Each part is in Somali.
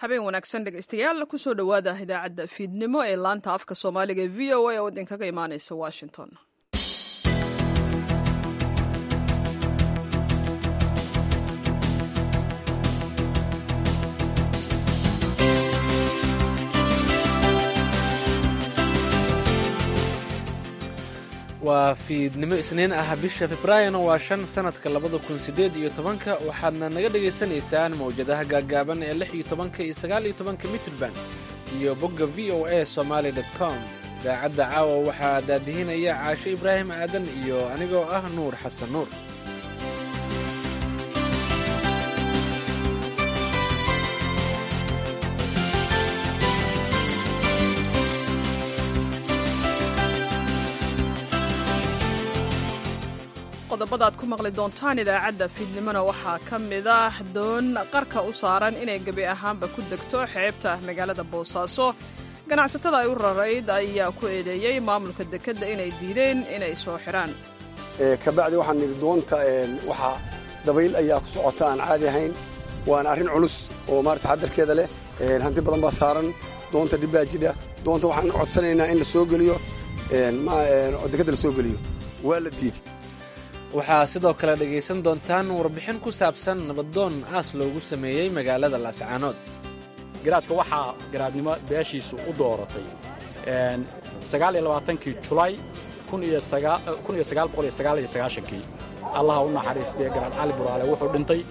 Habeen wanaagsan, dhegeystayaal. Kusoo dhowaada idaacadda fiidnimo ee laanta afka Soomaaliga ee VOA oo idinkaga imaaneysa Washington. Waa fiidnimo Isniin ah, bisha Febraayona waa 5, sanadka 2018-ka. Waxaadna naga dhagaysanaysaan mawjadaha gaaggaaban ee 16-ka iyo 19-ka mitrban iyo bogga VOA Somaly com. Idaacadda caawa waxaa daadihinaya Caasho Ibraahim Aadan iyo anigoo ah Nuur Xasan Nuur. Qodobada aad ku maqli doontaan idaacadda fiidnimona waxaa ka mid ah doon qarka u saaran inay gebi ahaanba ku degto xeebta magaalada Boosaaso. Ganacsatada ay u rarayd ayaa ku eedeeyey maamulka dekedda inay diideen inay soo xidhaan. Kabacdi waxaan nidhi, doonta waxaa dabayl ayaa ku socota aan caadi ahayn, waana arrin culus oo maarata xadarkeeda leh. Hanti badan baa saaran doonta, dhibbaa jidha doonta. Waxaan codsanaynaa in la soo geliyo, dekedda la soo geliyo. Waa la diiday. Waxaa sidoo kale dhegaysan doontaan warbixin ku saabsan nabadoon aas loogu sameeyey magaalada Laascaanood. Garaadka waxaa garaadnimo beeshiisu u dooratay 29-kii Julay 1999-kii. Allaha u naxariistee, Garaad Cali Buraale wuxuu dhintay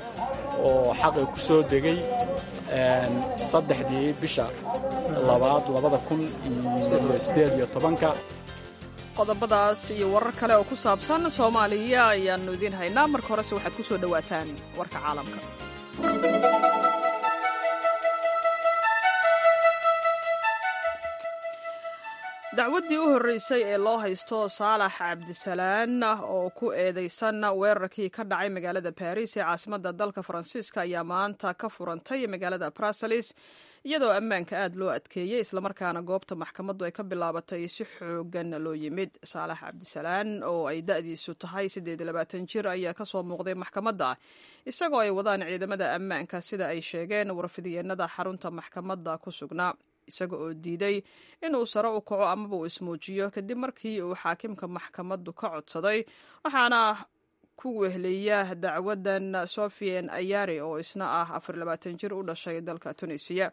oo xaqii ku soo degay 3-dii bisha labaad 2018-ka. Qodobadaas iyo warar kale oo ku saabsan Soomaaliya ayaannu idiin haynaa. Marka horese waxaad ku soo dhowaataan warka caalamka. Dacwaddii u horreysay ee loo haysto Saalax Cabdisalaan oo ku eedeysan weerarkii ka dhacay magaalada Baris ee caasimadda dalka Faransiiska ayaa maanta ka furantay magaalada Brussels, iyadoo ammaanka aad loo adkeeyey, islamarkaana goobta maxkamaddu ay ka bilaabatay si xoogan loo yimid. Saalax Cabdisalaan oo ay da'diisu tahay 28 jir ayaa kasoo muuqday maxkamadda isagoo ay wadaan ciidamada ammaanka, sida ay sheegeen warfidiyeenada xarunta maxkamadda ku sugnaa, isaga oo diiday inuu sare u kaco amaba uu ismuujiyo kadib markii uu xaakimka maxkamaddu ka codsaday. Waxaana ku weheliya dacwadan Sofian Ayari oo isna ah 24 jir u dhashay dalka Tunisiya.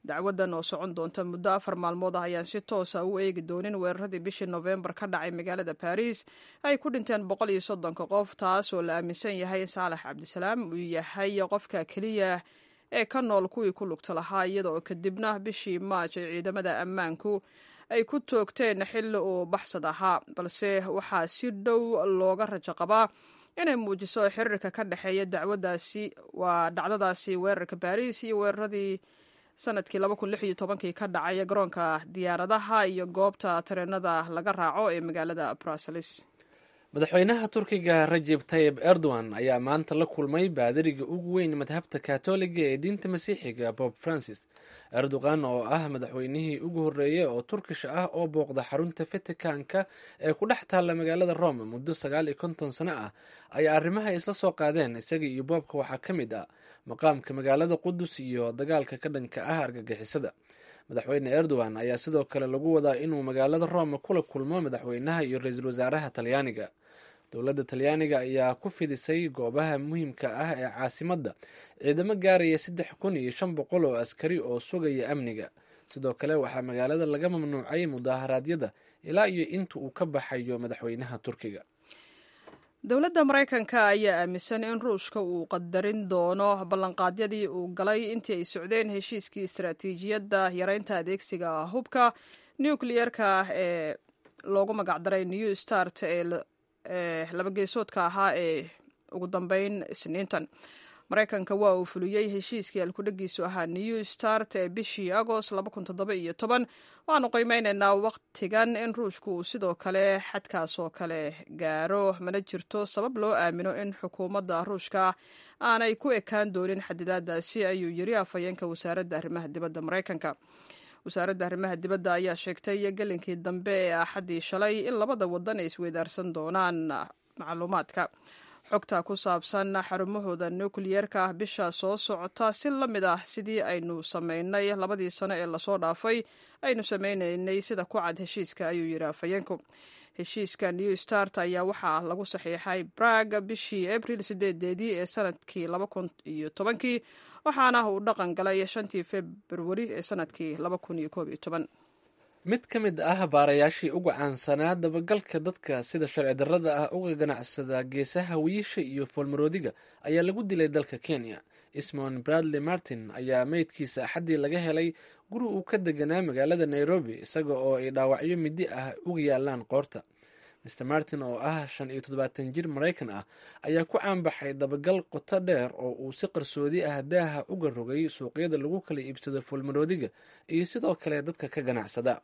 Dacwadan oo socon doonta muddo 4 maalmood ah ayaan si toosa u eegi doonin weeraradii bishii Nofembar ka dhacay magaalada Baris ay ku dhinteen 130-ka qof, taas oo la aaminsan yahay in Saalax Cabdisalaam uu yahay qofka keliya ee ka nool kuwii ku lugta lahaa, iyada oo kadibna bishii Maaj ay ciidamada ammaanku ay ku toogteen xilli uu baxsad ahaa. Balse waxaa si dhow looga rajo qabaa inay muujiso xiriirka ka dhexeeya dacwadaasi, waa dhacdadaasi weerarka Baariis, iyo weeraradii sanadkii 2016-kii ka dhacay garoonka diyaaradaha iyo goobta tareenada laga raaco ee magaalada Brussels. Madaxweynaha Turkiga Rajeb Tayib Erdogan ayaa maanta la kulmay baadiriga ugu weyn madhabta Kaatooliga ee diinta Masiixiga, Bob Francis. Erdogan oo ah madaxweynihii ugu horreeyay oo Turkish ah oo booqda xarunta Vaticanka ee ku dhex taalla magaalada Rome muddo 59 sano ah ayaa arrimaha isla soo qaadeen isaga iyo boobka waxaa ka mid ah maqaamka magaalada Qudus iyo dagaalka ka dhanka ah argagixisada. Madaxweyne Erdogan ayaa sidoo kale lagu wadaa inuu magaalada Rome kula kulmo madaxweynaha iyo ra-iisul wasaaraha Talyaaniga. Dowladda Talyaaniga ayaa ku fidisay goobaha muhiimka ah ee caasimadda ciidamo gaaraya 3500 oo askari oo sugaya amniga. Sidoo kale waxaa magaalada laga mamnuucay mudaaharaadyada ilaa iyo inta uu ka baxayo madaxweynaha Turkiga. Dowladda Maraykanka ayaa aaminsan in Ruushka uu qadarin doono ballanqaadyadii uu galay intii ay socdeen heshiiskii istaraatiijiyadda yareynta adeegsiga hubka nukliyeerka ee loogu magacdaray New Start ee labageesoodka ahaa ee ugu dambeyn Isniintan. Maraykanka waa uu fuliyey heshiiskii alkudhegiisu ahaa New Start ee bishii Agost. Waxaanu qiimeynaynaa wakhtigan in Ruushku uu sidoo kale xadkaas oo kale gaaro. Mana jirto sabab loo aamino in xukuumadda Ruushka aanay ku ekaan doonin xadidaadaasi, ayuu yiri afhayeenka wasaaradda arrimaha dibadda Maraykanka. Wasaaradda arrimaha dibadda ayaa sheegtay gelinkii dambe ee Axaddii shalay in labada wadan ay isweydaarsan doonaan macluumaadka. Xogta ku saabsan xarumahooda nukliyeerka ah bisha soo socota, si la mid ah sidii aynu samaynay 2dii sano ee lasoo dhaafay aynu samaynaynay, sida ku cad heshiiska, ayuu yidhi afhayeenku. Heshiiska New Start ayaa waxaa lagu saxiixay Brag bishii Abril 8-deedii ee sanadkii 2010-kii, waxaana uu dhaqan galay 5-tii Februari ee sanadkii 2011. Mid ka mid ah baarayaashii ugu caansanaa dabagalka dadka sida sharci darrada ah uga ganacsada geesaha wiisha iyo foolmaroodiga ayaa lagu dilay dalka Kenya. Ismon Bradley Martin ayaa meydkiisa Axaddii laga helay guri uu ka deganaa magaalada Nairobi, isaga oo ay dhaawacyo midi ah uga yaalaan qoorta. Mr Martin oo ah 75 jir Maraykan ah ayaa ku caanbaxay dabagal qoto dheer oo uu si qarsoodi ah daaha uga rogay suuqyada lagu kala iibsado foolmaroodiga iyo sidoo kale dadka ka ganacsada.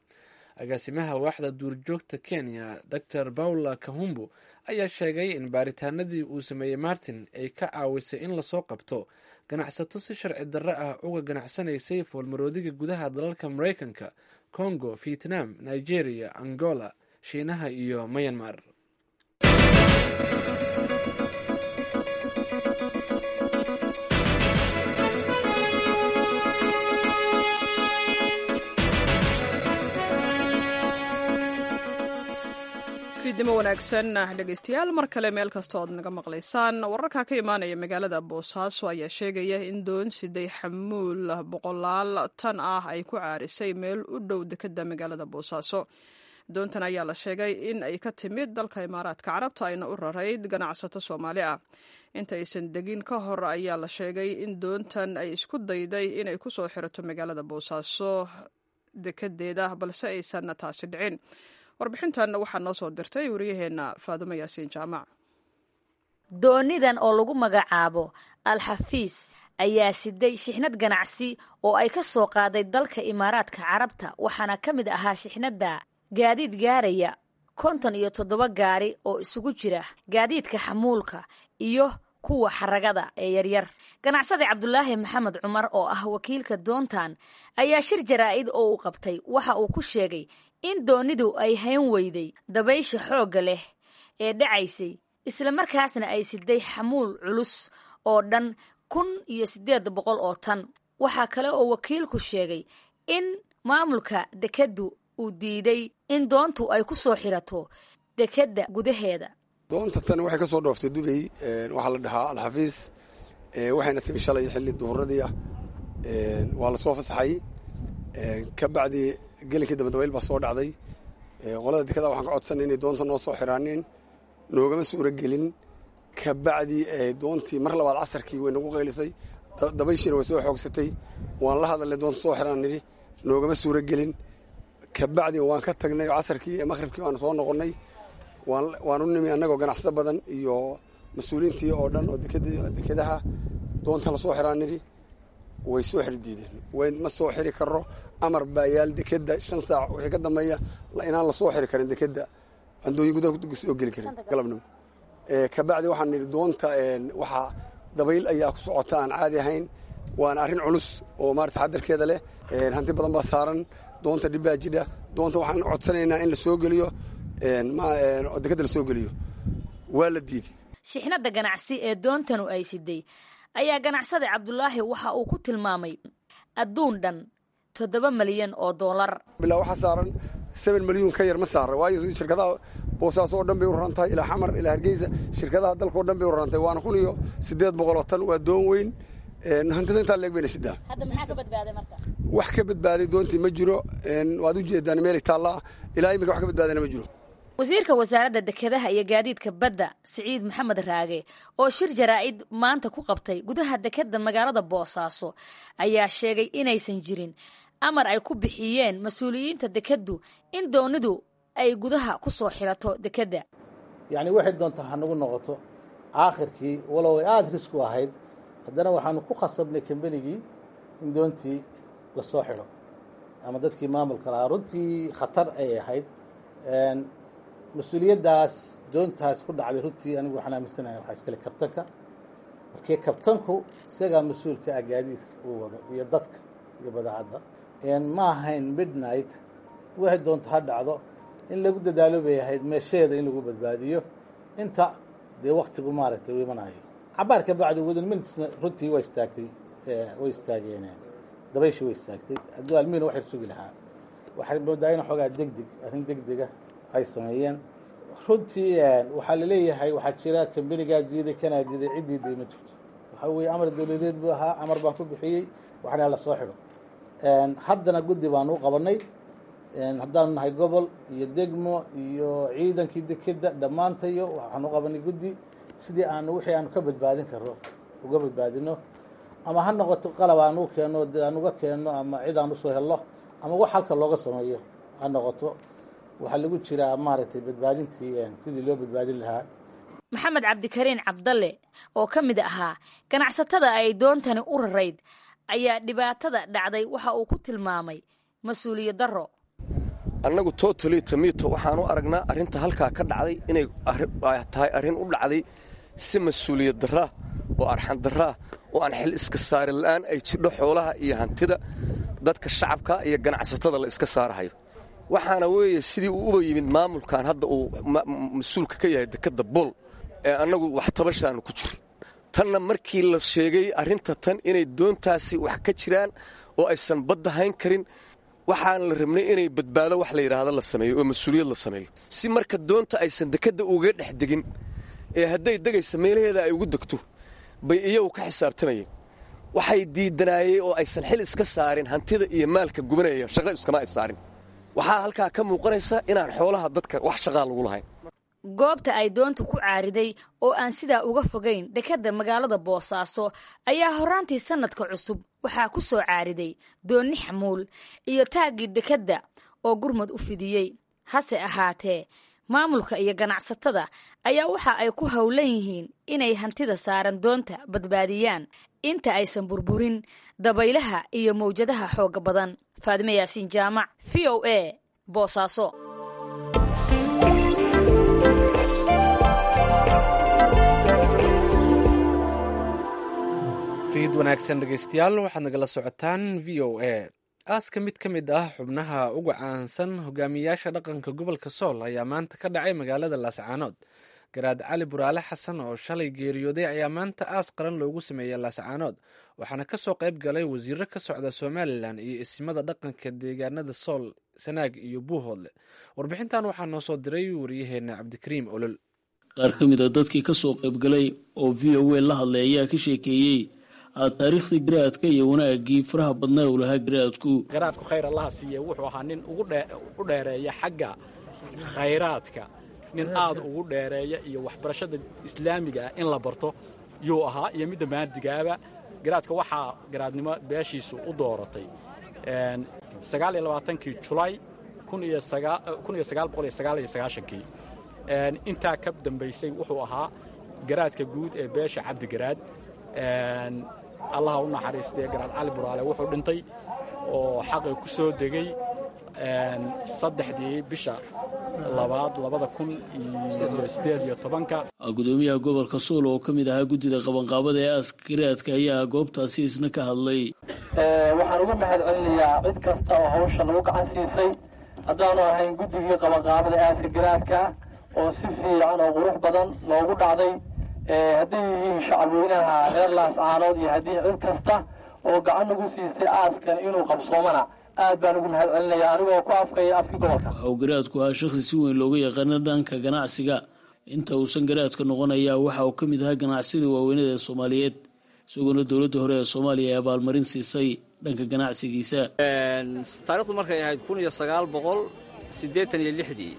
Agaasimaha waaxda duurjoogta Kenya, Dor Paula Kahumbu, ayaa sheegay in baaritaanadii uu sameeyey Martin ay ka caawisay in lasoo qabto ganacsato si sharci darro ah uga ganacsanaysay foolmaroodiga gudaha dalalka Maraykanka, Congo, Vietnam, Nigeria, Angola, Shiinaha iyo Myanmar. Fiidnimo wanaagsan, dhegeystayaal, mar kale meel kasta ood naga maqlaysaan. Wararka ka imaanaya magaalada Boosaaso ayaa sheegaya in doon siday xamuul boqolaal tan ah ay ku caarisay meel u dhow dekeda magaalada Boosaaso. Doontan ayaa la sheegay in ay ka timid dalka Imaaraadka Carabta, ayna u rarayd ganacsato Soomaali ah. Inta aysan degin ka hor ayaa la sheegay in doontan ay isku dayday inay kusoo xirato magaalada Boosaaso dekedeeda, balse aysan taasi dhicin. Warbixintan waxaa noo soo dirtay wariyaheenna Faadumo Yaasiin Jaamac. Doonidan oo lagu magacaabo Alxafiis ayaa siday shixnad ganacsi oo ay ka soo qaaday dalka Imaaraadka Carabta, waxaana ka mid ahaa shixnadda gaadiid gaaraya 57 gaari oo isugu jira gaadiidka xamuulka iyo kuwa xaragada ee yaryar. Ganacsade Cabdulaahi Maxamed Cumar oo ah wakiilka doontan ayaa shir jaraa'id oo uu qabtay waxa uu ku sheegay in doonidu ay hayn weyday dabaysha xoogga leh ee dhacaysay, islamarkaasna ay siday xamuul culus oo dhan 1800 oo tan. Waxaa kale oo wakiilku sheegay in maamulka dekeddu uu diiday in doontu ay ku soo xirato dekedda gudaheeda. Doonta tan waxay ka soo dhooftay Dubay, waxaa la dhahaa Alxafiis, waxayna timi shalay xilli duhuradii ah. Waa la soo fasaxay, ka bacdi gelinkii dambe dabayl baa soo dhacday. Qolada dekada waxaan ka codsanay inay doonta noo soo xiraanin, noogama suuro gelin. Ka bacdi doontii mar labaad casarkii way nagu qaylisay, dabayshiina way soo xoogsatay. Waan la hadalnay, doonta soo xiraan nidhi, noogama suuro gelin. Ka bacdi waan ka tagnay casarkii, maqhribkii baanu soo noqonnay. Waan u nimi annagoo ganacsato badan iyo mas-uuliyiintii oo dhan oo dekedaha, doonta la soo xiraan nidhi, way soo xiri diideen. Ma soo xiri karo, amar baa yaal dekeda, 5 saac wixii ka dambeeya inaan la soo xiri karin dekeda, andooyin gudaha soo geli karin galabnimo. Kabacdi waxaan nidhi doonta waxaa dabayl ayaa ku socota aan caadi ahayn, waana arrin culus oo maarata taxadarkeeda leh, hanti badan baa saaran doonta, dhib baa jidha. Doonta waxaan codsanaynaa in la soo geliyo dekeda, la soo geliyo, waa la diiday. Shixnadda ganacsi ee doontanu ay siday ayaa ganacsada Cabdulaahi waxa uu ku tilmaamay adduun dhan 7 malyan oo dollar. Bilaa waxaa saaran 7 milyuun ka yar ma saara, waayo shirkadaha Boosaaso oo dhan bay u raran tahay, ilaa Xamar, ilaa Hargeysa, shirkadaha dalka oo dhan bay u raran tahay. Waana 1800 tan, waa doon weyn, hantida intaa leeg bayna sidaa. Hadda maxaa ka badbaaday marka? Wax ka badbaaday doontii ma jiro, waad u jeedaan meelay taallaa, ilaa iminka wax ka badbaadana ma jiro. Wasiirka wasaaradda dekedaha iyo gaadiidka badda, Siciid Maxamed Raage, oo shir jaraa'id maanta ku qabtay gudaha dekedda magaalada Boosaaso ayaa sheegay inaysan jirin amar ay ku bixiyeen mas-uuliyiinta dekeddu in doonidu ay gudaha ku soo xirato dekedda. Yacni waxay doontaa hanagu noqoto aakhirkii, walow ay aada risk u ahayd, haddana waxaanu ku khasabnay kambanigii in doontii la soo xidho ama dadkii maamulka lahaa. Runtii khatar ay ahayd mas-uuliyaddaas doontaas ku dhacday. Runtii anigu waxaan aaminsanahay waxaa iskale kabtanka, markii kabtanku isagaa mas-uulka ah gaadiidka uu wado iyo dadka iyo badeecadda. Ma ahayn midnight, waxay doonto ha dhacdo, in lagu dadaalo bay ahayd meesheeda in lagu badbaadiyo inta Dee waktigu maaragtay u imanayo cabaar ka bacdi within minutesna runtii way istaagtay, way istaageen dabayshii, way istaagtay. Hadduu almiina wax yar sugi lahaa, waxay moodaa in xoogaa degdeg, arrin degdega ay sameeyeen. Runtii waxaa laleeyahay waxaa jira kambanigaa diiday, kanaa diiday, cid diiday ma jirto. Waxaa weeye amar dowladeed buu ahaa, amar baan ku bixiyey, waxna la soo xidho. Haddana guddi baanu u qabanay, haddaanu nahay gobol iyo degmo iyo ciidankii dekeda dhammaantayo, waxaanu u qabanay guddi sidii aanu wixii aanu ka badbaadin karro uga badbaadino, ama ha noqoto qalab aanu u keenno, aan uga keenno, ama cid aan usoo helno, ama wax halka looga sameeyo ha noqoto. Waxaa lagu jiraa maaragtay badbaadintii, sidii loo badbaadin lahaa. Maxamed Cabdikariin Cabdalle oo ka mid ahaa ganacsatada ay doontani u rarayd ayaa dhibaatada dhacday waxa uu ku tilmaamay mas-uuliyad darro. Annagu totally tamito waxaan u aragnaa arrinta halkaa ka dhacday inay tahay arrin u dhacday si mas-uuliyad darraa oo arxan darraa oo aan xil iska saari la'aan ay jidho, xoolaha iyo hantida dadka shacabka iyo ganacsatada la iska saarahayo. Waxaana weeye sidii uu uba yimid maamulkan hadda uu mas-uulka ka yahay dekadda Bool ee annagu wax tabashaanu ku jiray. Tanna markii la sheegay arrinta tan inay doontaasi wax ka jiraan oo aysan badda hayn karin, waxaan la rabnay inay badbaado wax la yidhaahdo la sameeyo oo mas-uuliyad la sameeyo, si marka doonta aysan dekadda uga dhex degin ee hadday degaysa meelaheeda ay ugu degto bay iyagu ka xisaabtamayeen. Waxay diidanaayey oo aysan xil iska saarin hantida iyo maalka gubanaya, shaqo iskama ay saarin. Waxaa halkaa ka muuqanaysa inaan xoolaha dadka wax shaqaa lagu lahayn. Goobta ay doontu ku caariday oo aan sidaa uga fogayn dekadda magaalada Boosaaso ayaa horraantii sannadka cusub waxaa ku soo caariday doonni xamuul iyo taaggii dekadda oo gurmud u fidiyey. Hase ahaatee, maamulka iyo ganacsatada ayaa waxa ay ku howlan yihiin inay hantida saaran doonta badbaadiyaan inta aysan burburin dabaylaha iyo mawjadaha xoogga badan. Faadime Yaasiin Jaamac, VOA, Boosaaso. Fiid wanaagsan dhegeystayaal, waxaad nagala socotaan VOA. Aaska mid ka mid ah xubnaha ugu caansan hogaamiyayaasha dhaqanka gobolka Sool ayaa maanta ka dhacay magaalada Laascaanood. Garaad Cali Buraale Xasan oo shalay geeriyooday ayaa maanta aas qaran loogu sameeyey Laascaanood, waxaana kasoo qayb galay wasiiro ka socda Somalilan iyo isimada dhaqanka deegaanada Sool, Sanaag iyo Buuhoodle. Warbixintan waxaa noo soo diray wariyaheena Cabdikariim Olol. Qaar ka mid a dadkii kasoo qaybgalay oo VOA la hadlay ayaa ka sheekeeyey taariikhdii garaadka iyo wanaagii faraha badnaa uu lahaa garaadku. Garaadku khayr Allaha siiye, wuxuu ahaa nin u dheereeya xagga khayraadka, nin aad ugu dheereeya iyo waxbarashada islaamiga ah in la barto yuu ahaa iyo midda maadigaaba. Garaadka waxaa garaadnimo beeshiisu u dooratay 29-kii Julay 1999-kii. Intaa ka dambaysay wuxuu ahaa garaadka guud ee beesha Cabdigaraad. Allaha u naxariistee, Garaad Cali Buraale wuxuu dhintay oo xaqii ku soo degay 3-dii bisha labaad 2018-ka. Gudoomiyaha gobolka Sool oo ka mid ahaa guddida qabanqaabada ee aaska garaadka ayaa goobtaasi isna ka hadlay. Waxaan uga mahad celinayaa cid kasta oo hawsha nagu gacan siisay, haddaanu ahayn guddigii qabanqaabada aaska garaadka oo si fiican oo qurux badan loogu dhacday, hadday yihiin shacabweynaha reer Laascaanood iyo haddii cid kasta oo gacan nagu siistay aaskan inuu qabsoomana, aad baan ugu mahad celinaya anigoo ku afkaya afkii gobolka. Waxa uu garaadku ahaa shakhsi si weyn looga yaqaano dhanka ganacsiga. Inta uusan garaadka noqon ayaa waxa uu ka mid ahaa ganacsida waaweynada ee Soomaaliyeed, isagoona dowladda hore ee Soomaaliya ay abaalmarin siisay dhanka ganacsigiisa. Taarikhdu markay ahayd 1986-dii,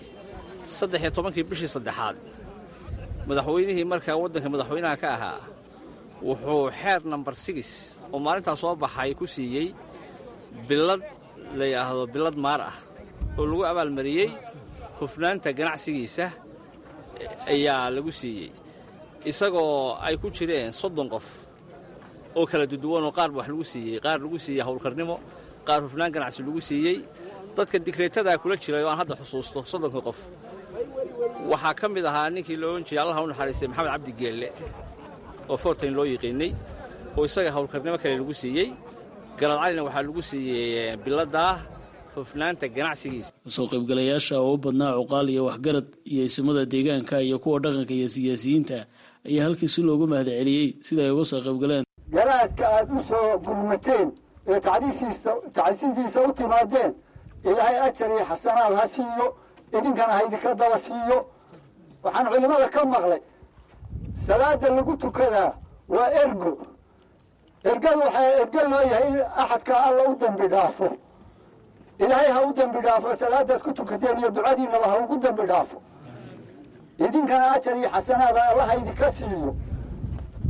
13-kii bishii saddexaad, madaxweynihii markaa waddanka madaxweynaha ka ahaa wuxuu xeer nambar 6 oo maalintaa soo baxay ku siiyey billad la yidhaahdo billad maar ah oo lagu abaalmariyey hufnaanta ganacsigiisa ayaa lagu siiyey, isagoo ay ku jireen 30 qof oo kala duduwanoo qaar wax lagu siiyey, qaar lagu siiyey howlkarnimo, qaar hufnaan ganacsi lagu siiyey. Dadka digreetadaa kula jiray oo aan hadda xusuusto 30-ka qof waxaa ka mid ahaa ninkii loo ohan jiray, Allaha u naxariistay, Maxamed Cabdi Geelle oo Fortain loo yiqiinnay, oo isaga howlkarnimo kale lagu siiyey. Garaad Calina waxaa lagu siiyey biladdaa. Hufnaanta ganacsigiisa. Kasoo qaybgalayaasha oo u badnaa cuqaal iyo waxgarad iyo isimada deegaanka iyo kuwa dhaqanka iyo siyaasiyiinta ayaa halkii si loogu mahad celiyey sida ay uga soo qaybgaleen. Garaadka aad u soo gurmateen ee tacsidiisa u timaadeen, Ilaahay ajar iyo xasanaad ha siiyo, idinkana ha idinka daba siiyo. Waxaan culimmada ka maqlay, salaada lagu tukadaa waa ergo. Ergadu waxaa ergo loo yahay in axadka Alla u dembi dhaafo. Ilaahay ha u dembi dhaafo, salaadaad ku tukateen iyo ducadiinaba ha ugu dembi dhaafo, idinkana ajar iyo xasanaada Allaha idinka siiyo.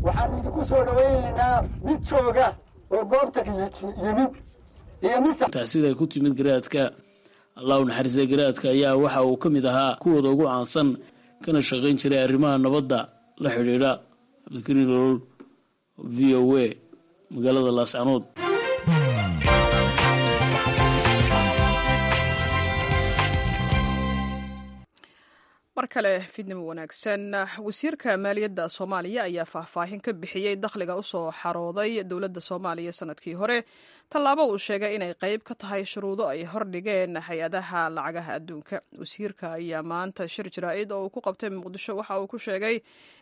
Waxaanu idinku soo dhawaynaynaa mid jooga oo goobta yimid iyo mid Tacsida ku timid garaadka, Allah u naxariistay, garaadka ayaa waxa uu ka mid ahaa kuwooda ugu caansan kana shaqayn jiray arrimaha nabadda la xidhiidha. Cabdikariin Olol, VOA, magaalada Laascanood. Mar kale fiidnimo wanaagsan. Wasiirka maaliyadda Soomaaliya ayaa faahfaahin ka bixiyey dakhliga usoo xarooday dowladda Soomaaliya sanadkii hore, tallaabo uu sheegay inay qayb ka tahay shuruudo ay hordhigeen hay-adaha lacagaha adduunka. Wasiirka ayaa maanta shir jaraa'id oo uu ku qabtay Muqdisho waxa uu ku sheegay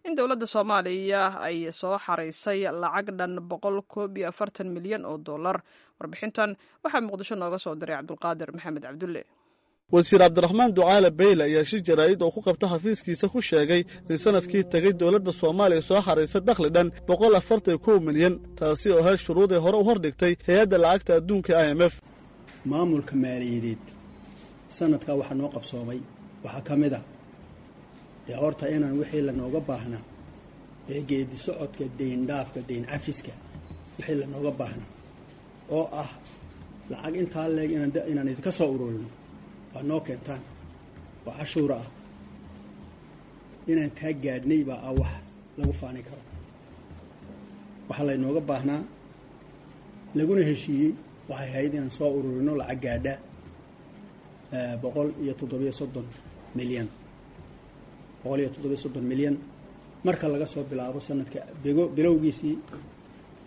in dowladda Soomaaliya ay soo xaraysay lacag dhan 141 milyan oo dollar. Warbixintan waxaa Muqdisho nooga soo diray Cabdulqaadir Maxamed Cabdulle. Wasiir Cabdiraxmaan Ducaale Beyle ayaa shir jaraa'id oo ku qabta xafiiskiisa ku sheegay in sanadkii tegey dowladda Soomaaliya soo xaraysa dakhli dhan 141 milyan, taasi oo ahayd shuruuday hore u hordhigtay hay-adda lacagta adduunka IMF. Maamulka maaliyadeed sanadkaa waxaa noo qabsoomay waxaa ka mid ah dee horta inaan wixii lanooga baahnaa ee geedi socodka deyn dhaafka, deyn cafiska, wixii lanooga baahnaa oo ah lacag intaa leeg inaan idinka soo ururino, waa noo keentaan oo cashuura ah, inaan taa gaadhnay baa ah wax lagu faani karo. Waxaa laynooga baahnaa laguna heshiiyey waxay ahayd inaan soo ururino lacag gaadha 137 milyan, 137 milyan, marka laga soo bilaabo sanadka bego bilowgiisii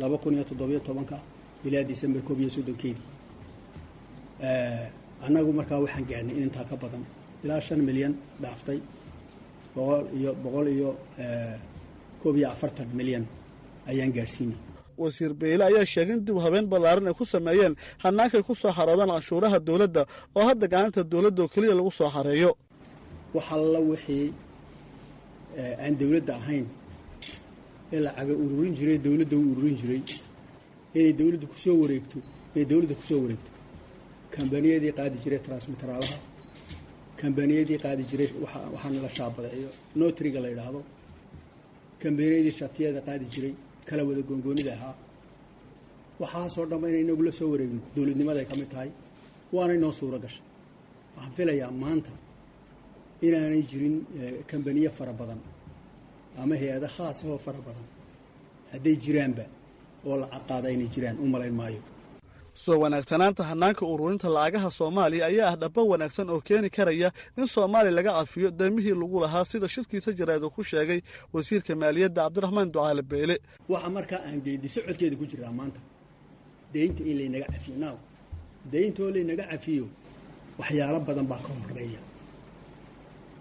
2017-ka ilaa December 31-keedii. Annagu markaa waxaan gaadhnay in intaa ka badan, ilaa 5 milyan dhaaftay, 141 milyan ayaan gaadhsiinay. Wasiir Beyle ayaa sheegay in dib habeen ballaaran ay ku sameeyeen hannaankay ku soo xaroodaan canshuuraha dowladda, oo hadda gacanta dowladda oo keliya lagu soo xareeyo. Wax alla wixii aan dowladda ahayn ee lacaga ururin jiray, dowladda u ururin jiray, inay dowladda kusoo wareegto, inay dowladda kusoo wareegto. Kambaniyadii qaadi jiray transmiteraalaha, kambaniyadii qaadi jiray waxaana la shaabadeeyo, notriga la yidhaahdo, kambaniyadii shatiyada qaadi jiray, kala wada goongoonida ahaa, waxaasoo dhanba inay inagu la soo wareegno dowladnimaday ka mid tahay, waana inoo suuro gashay. Waxaan filayaa maanta inaanay jirin kambaniye fara badan ama hay-ado khaas ahoo fara badan, hadday jiraanba, oo lacag qaada inay jiraan u malayn maayo. Soo wanaagsanaanta hannaanka ururinta lacagaha Soomaaliya ayaa ah dhaba wanaagsan oo keeni karaya in Soomaaliya laga cafiyo deymihii lagu lahaa, sida shirkiisa jaraa'id uu ku sheegay wasiirka maaliyadda Cabdiraxmaan Ducaale Beyle. Waxa markaa aan geedi socodkeeda ku jiraa maanta deynta in laynaga cafiyo. Naaw, deyntoo laynaga cafiyo waxyaalo badan baa ka horeeya.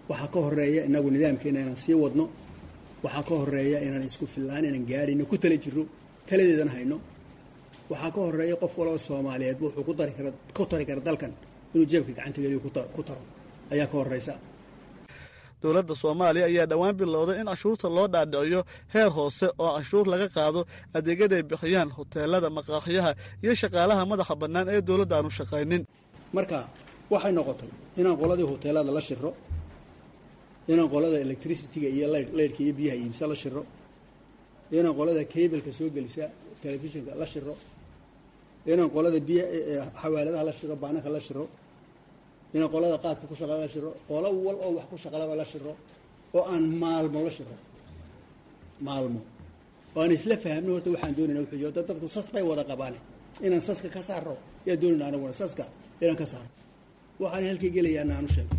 Waxaa ka horeeya inagu nidaamkeena inaan sii wadno. Waxaa ka horeeya inaan isku fillaan inaan gaadhayno, ku tala jiro, taladeedana hayno. Waxaa ka horeeya qof walba Soomaaliyeed wuxuu ku dari kara, ku tari kara dalkan inuu jeebka gacanta geliyo ku taro ayaa ka horeysa. Dowladda Soomaaliya ayaa dhowaan bilowday in canshuurta loo dhaadhiciyo heer hoose, oo canshuur laga qaado adeegyada ay bixiyaan hoteelada, maqaaxiyaha iyo shaqaalaha madaxa bannaan ee dowladda aanu shaqaynin. Marka waxay noqotay inaan qoladii hoteelada la shiro, inaan qolada electricity-ga iyo leyrhka iyo biyaha iibsa la shiro, inaan qolada cableka soo gelisa telefishinka la shiro, inaan qolada biy xawaaladaha la shiro, baananka la shiro, inaan qolada qaadka ku shaqala la shiro, qolo wal oo wax ku shaqalaba la shiro, oo aan maalmo la shiro, maalmo oo aan isla fahamno horta waxaan doonayna wuxuu yahay. Dadku sas bay wada qabaane, inaan saska ka saaro yaa doonayna, anaguna saska inaan ka saaro. Waxaan halkay gelayaana aanu sheegno,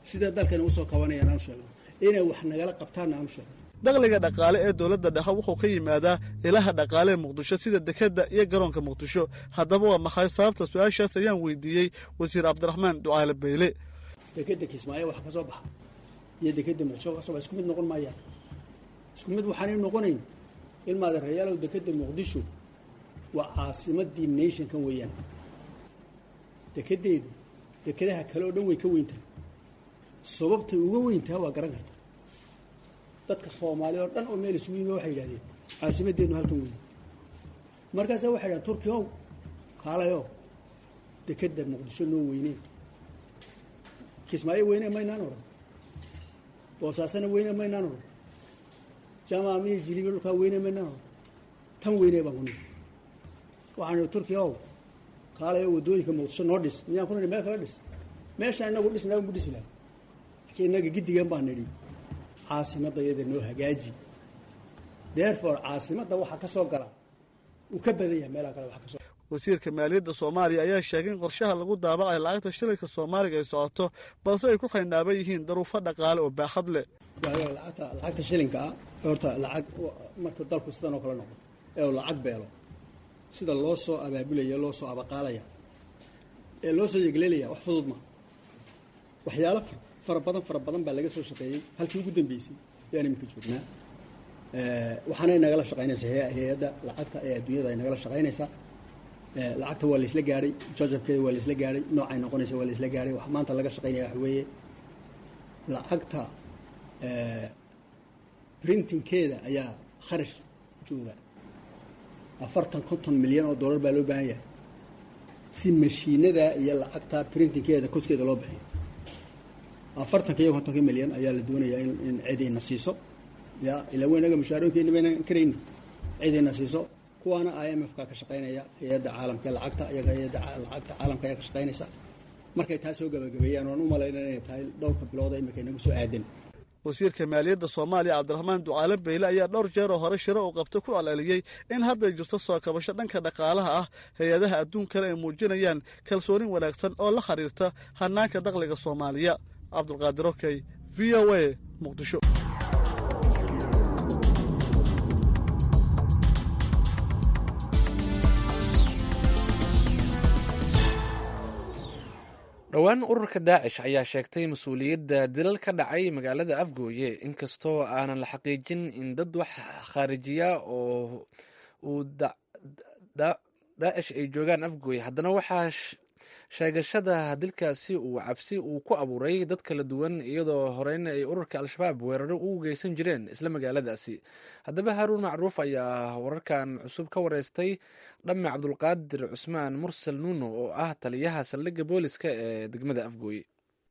sida dalkani usoo kabanayaan aanu sheegno, inay wax nagala qabtaanna aanu sheegno. Dakhliga dhaqaale ee dowladda dhexe wuxuu ka yimaadaa ilaha dhaqaale ee Muqdisho, sida dekedda iyo garoonka Muqdisho. Haddaba waa maxay sababta? Su-aashaas ayaan weydiiyey wasiir Cabdiraxmaan Ducaale Beyle. Dekeda Kismaayo waxa ka soo baxa iyo dekeda Muqdisho ka soo baxa isku mid noqon maayaan. Isku mid waxaanay noqonayn, ilmaadeerayaalow, dekeda Muqdisho waa caasimadii nationkan weeyaan. Dekedeedu dekedaha kale oo dhan way ka weyn tahay. Sababtay uga weyn tahay waa garan karta. Dadka Soomaaliya oo dhan oo meel isugu yimi waxay yidhahdeen caasimadeennu halkan weyn. Markaasa waxay yidhahdeen, Turki ow, kaalayo dekeda Muqdisho noo weynee. Kismaayo weyne maynaan odhan, Boosaasana weyne maynaan odhan, Jamaamiyo Jilibi dhulkaa weyne maynaan odhan, tan weyne baan ku nidhi. Waxaan idhi, Turkiya ow, kaalayo waddooyinka Muqdisho noo dhis. Miyaan ku nidhi meel kala dhis? Meeshaan inagu dhisnaa ugu dhisi lahay, laakiin innaga giddigan baan nidhi caasimadda iyada noo hagaaji. Therefore caasimadda waxaa ka soo gala uu ka badan yahay meelaha kale waxa ka soo. Wasiirka maaliyadda Soomaaliya ayaa sheegay in qorshaha lagu daabacayo lacagta shilinka Soomaaliga ay socoto, balse ay ku xaynaaban yihiin daruufo dhaqaale oo baaxad leh. Lacagta shilinka ah horta, lacag marka dalku sidan oo kale noqdo ee uu lacag beelo, sida loo soo abaabulaya, loo soo abaqaalaya ee loo soo yegleelaya, wax fudud ma. Waxyaalo fara badan, fara badan baa laga soo shaqeeyey. Halkii ugu dambeysay ayaan iminka joognaa. Waxaanay nagala shaqaynaysaa hay-adda lacagta ee adduunyada ay nagala shaqaynaysaa. Lacagta waa laisla gaadhay, jajabkeeda waa laisla gaadhay, noocay noqonaysa waa laisla gaadhay. Wax maanta laga shaqaynaya waxa weeye lacagta printingkeeda ayaa kharash jooga. 40-50 milyan oo dollar baa loo baahan yahay si mashiinada iyo lacagta printingkeeda costkeeda loo bixiyo. 40-ka iyo 50-ka milyan ayaa la doonayaa in cidayna siiso. Ya ilaa weynaga mushaarooyinkeena baynan karayni, cidayna siiso. Kuwaana IMF ka ka shaqaynaya, hay-adda caalamka lacagta iyaga, hay-adda lacagta caalamka ayaa ka shaqaynaysa. Markay taa soo gabagabeeyaan, waan u malayna inay tahay dhowrka bilooda imika inagu soo aadan. Wasiirka maaliyadda Soomaaliya Cabdiraxmaan Ducaale Beyle ayaa dhowr jeer oo hore shiro uu qabto ku celceliyey in hadday jirto soo kabasho dhanka dhaqaalaha ah, hay-adaha adduunkana ay muujinayaan kalsoonin wanaagsan oo la xiriirta hanaanka dakhliga Soomaaliya. Cabdulqaadir Okey, VOA, Muqdisho. Dhowaan ururka Daacish ayaa sheegtay mas-uuliyadda dilal ka dhacay magaalada Afgooye, inkastoo aanan la xaqiijin in dad wax khaarijiya oo uu Daacish ay joogaan Afgooye. Haddana waxaa sheegashada dilkaasi uu cabsi uu ku abuuray dad kala duwan, iyadoo horeyna ay ururka Al-Shabaab weeraro ugu geysan jireen isla magaaladaasi. Haddaba Haaruun Macruuf ayaa wararkan cusub ka wareystay Dhamme Cabdulqaadir Cusmaan Mursal Nuuno, oo ah taliyaha saldhigga booliska ee degmada Afgooye.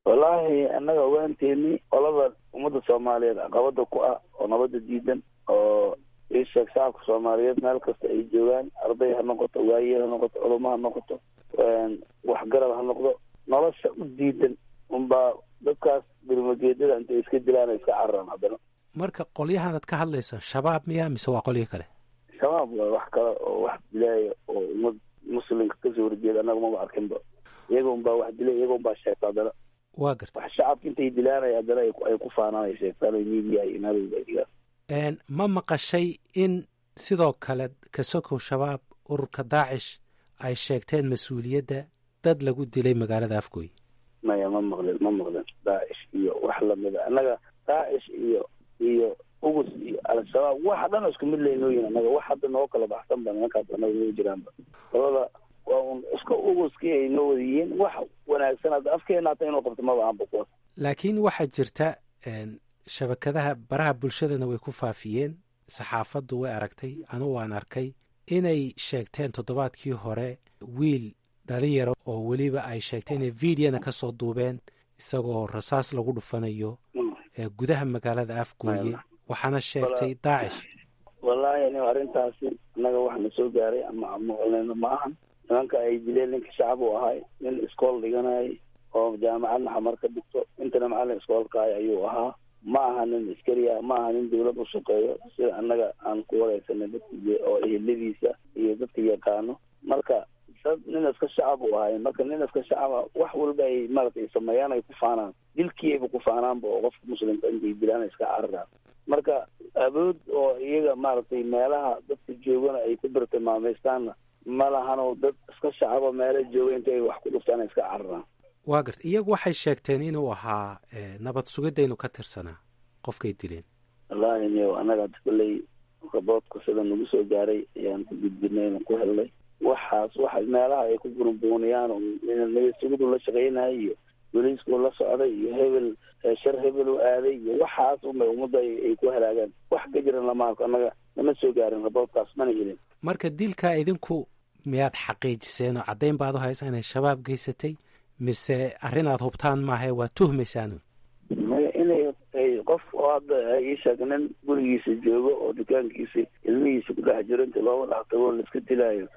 Wallaahi, annaga ogaanteeni, qolada ummadda Soomaaliyeed caqabada ku ah oo nabadda diidan oo ii sheeg shacabka Soomaaliyeed meel kasta ay joogaan, arday ha noqoto, waayeel ha noqoto, culamo ha noqoto, waxgarab ha noqdo, nolosha u diidan unbaa dadkaas birmageedada intay iska dilaan ay iska cararaan haddana. Marka qolyahan aad ka hadlaysa Shabaab miya mise waa qolyo kale? Shabaab waay. Wax kale oo wax dilaaya oo ummad muslimka kasoo horjeeda annaga maba arkinba. Iyaga unbaa wax dilay, iyaga unbaa sheegta haddana. Waa garta. Wax shacabka intay dilaanaya haddana ay ku faanaan, ay sheegtaan, ay media iyo meel walba ay dhigaan. Ma maqashay in sidoo kale kasokow Shabaab ururka Daacish ay sheegteen mas-uuliyadda dad lagu dilay magaalada Afgooy? Maya, ma maqlin, ma maqlin. Daacish iyo wax lamida, annaga Daacish iyo Ugus iyo Al-Shabaab waxa dhan isku mid leynooyin. Annaga wax hadda noo kala baxsan ba nimankaas annaga noo jiraanba. Qolada waa un iska uguskii ay noo wada yihiin. Wax wanaagsan hadda afkeena hata inuu qabto maba ahanba kuwaas. Laakiin waxaa jirta shabakadaha baraha bulshadana way ku faafiyeen, saxaafaddu way aragtay, anugu waan arkay inay sheegteen toddobaadkii hore wiil dhalinyaro oo weliba ay sheegteen inay videona ka soo duubeen isagoo rasaas lagu dhufanayo gudaha magaalada Afgooye, waxaana sheegtay Daacish. Wallaahi anigo arrintaasi annaga wax na soo gaaray ama maqleyno ma ahan. Nimanka ay dileen ninka shacab uu ahay, nin iskool dhiganayay oo jaamacadna Xamar ka dhigto, intana macallin iskoolkaay ayuu ahaa. Ma aha nin askari ah, ma aha nin dawlad u shaqeeyo, sida annaga aan ku wareysanay dadka oo eheladiisa iyo dadka yaqaano. Marka dad nin iska shacab u ahay. Marka nin iska shacaba wax walba ay maaragtay sameeyaan ay ku faanaan, dilkii ayba ku faanaanba oo qofka muslimka intay dilaan ay iska cararaan. Marka Awood oo iyaga maaragtay meelaha dadka joogana ay ku birtilmaamaystaanna ma lahanoo dad iska shacabo meelo jooga inta ay wax ku dhuftaan iska cararaan. Waa garta, iyagu waxay sheegteen inuu ahaa nabad sugidaynu ka tirsanaa qofkay dileen. Wallaahi niyow, annaga hadda kolley raboodka sida nagu soo gaaray ayaan ku gudbinay oon ku helnay. Waxaas waxa meelaha ay ku burunbuuniyaan oo nabad sugidu la shaqeynaya iyo boliisku la socday iyo hebel shar hebel u aaday iyo waxaas unbay ummadda ay ku halaagaan. Wax ka jiran lama arko, annaga nama soo gaarin raboodkaas, mana helin. Marka dilkaa idinku miyaad xaqiijiseen oo caddayn baad u haysaa inay Shabaab geysatay, mise arrin aad hubtaan maahae waa tuhmaysaan? Maya, inay qof oo hadda ii sheeg nin gurigiisa joogo oo dukaankiisa ilmihiisa ku dhex jiro inta looga dhex tago laiska dilaayo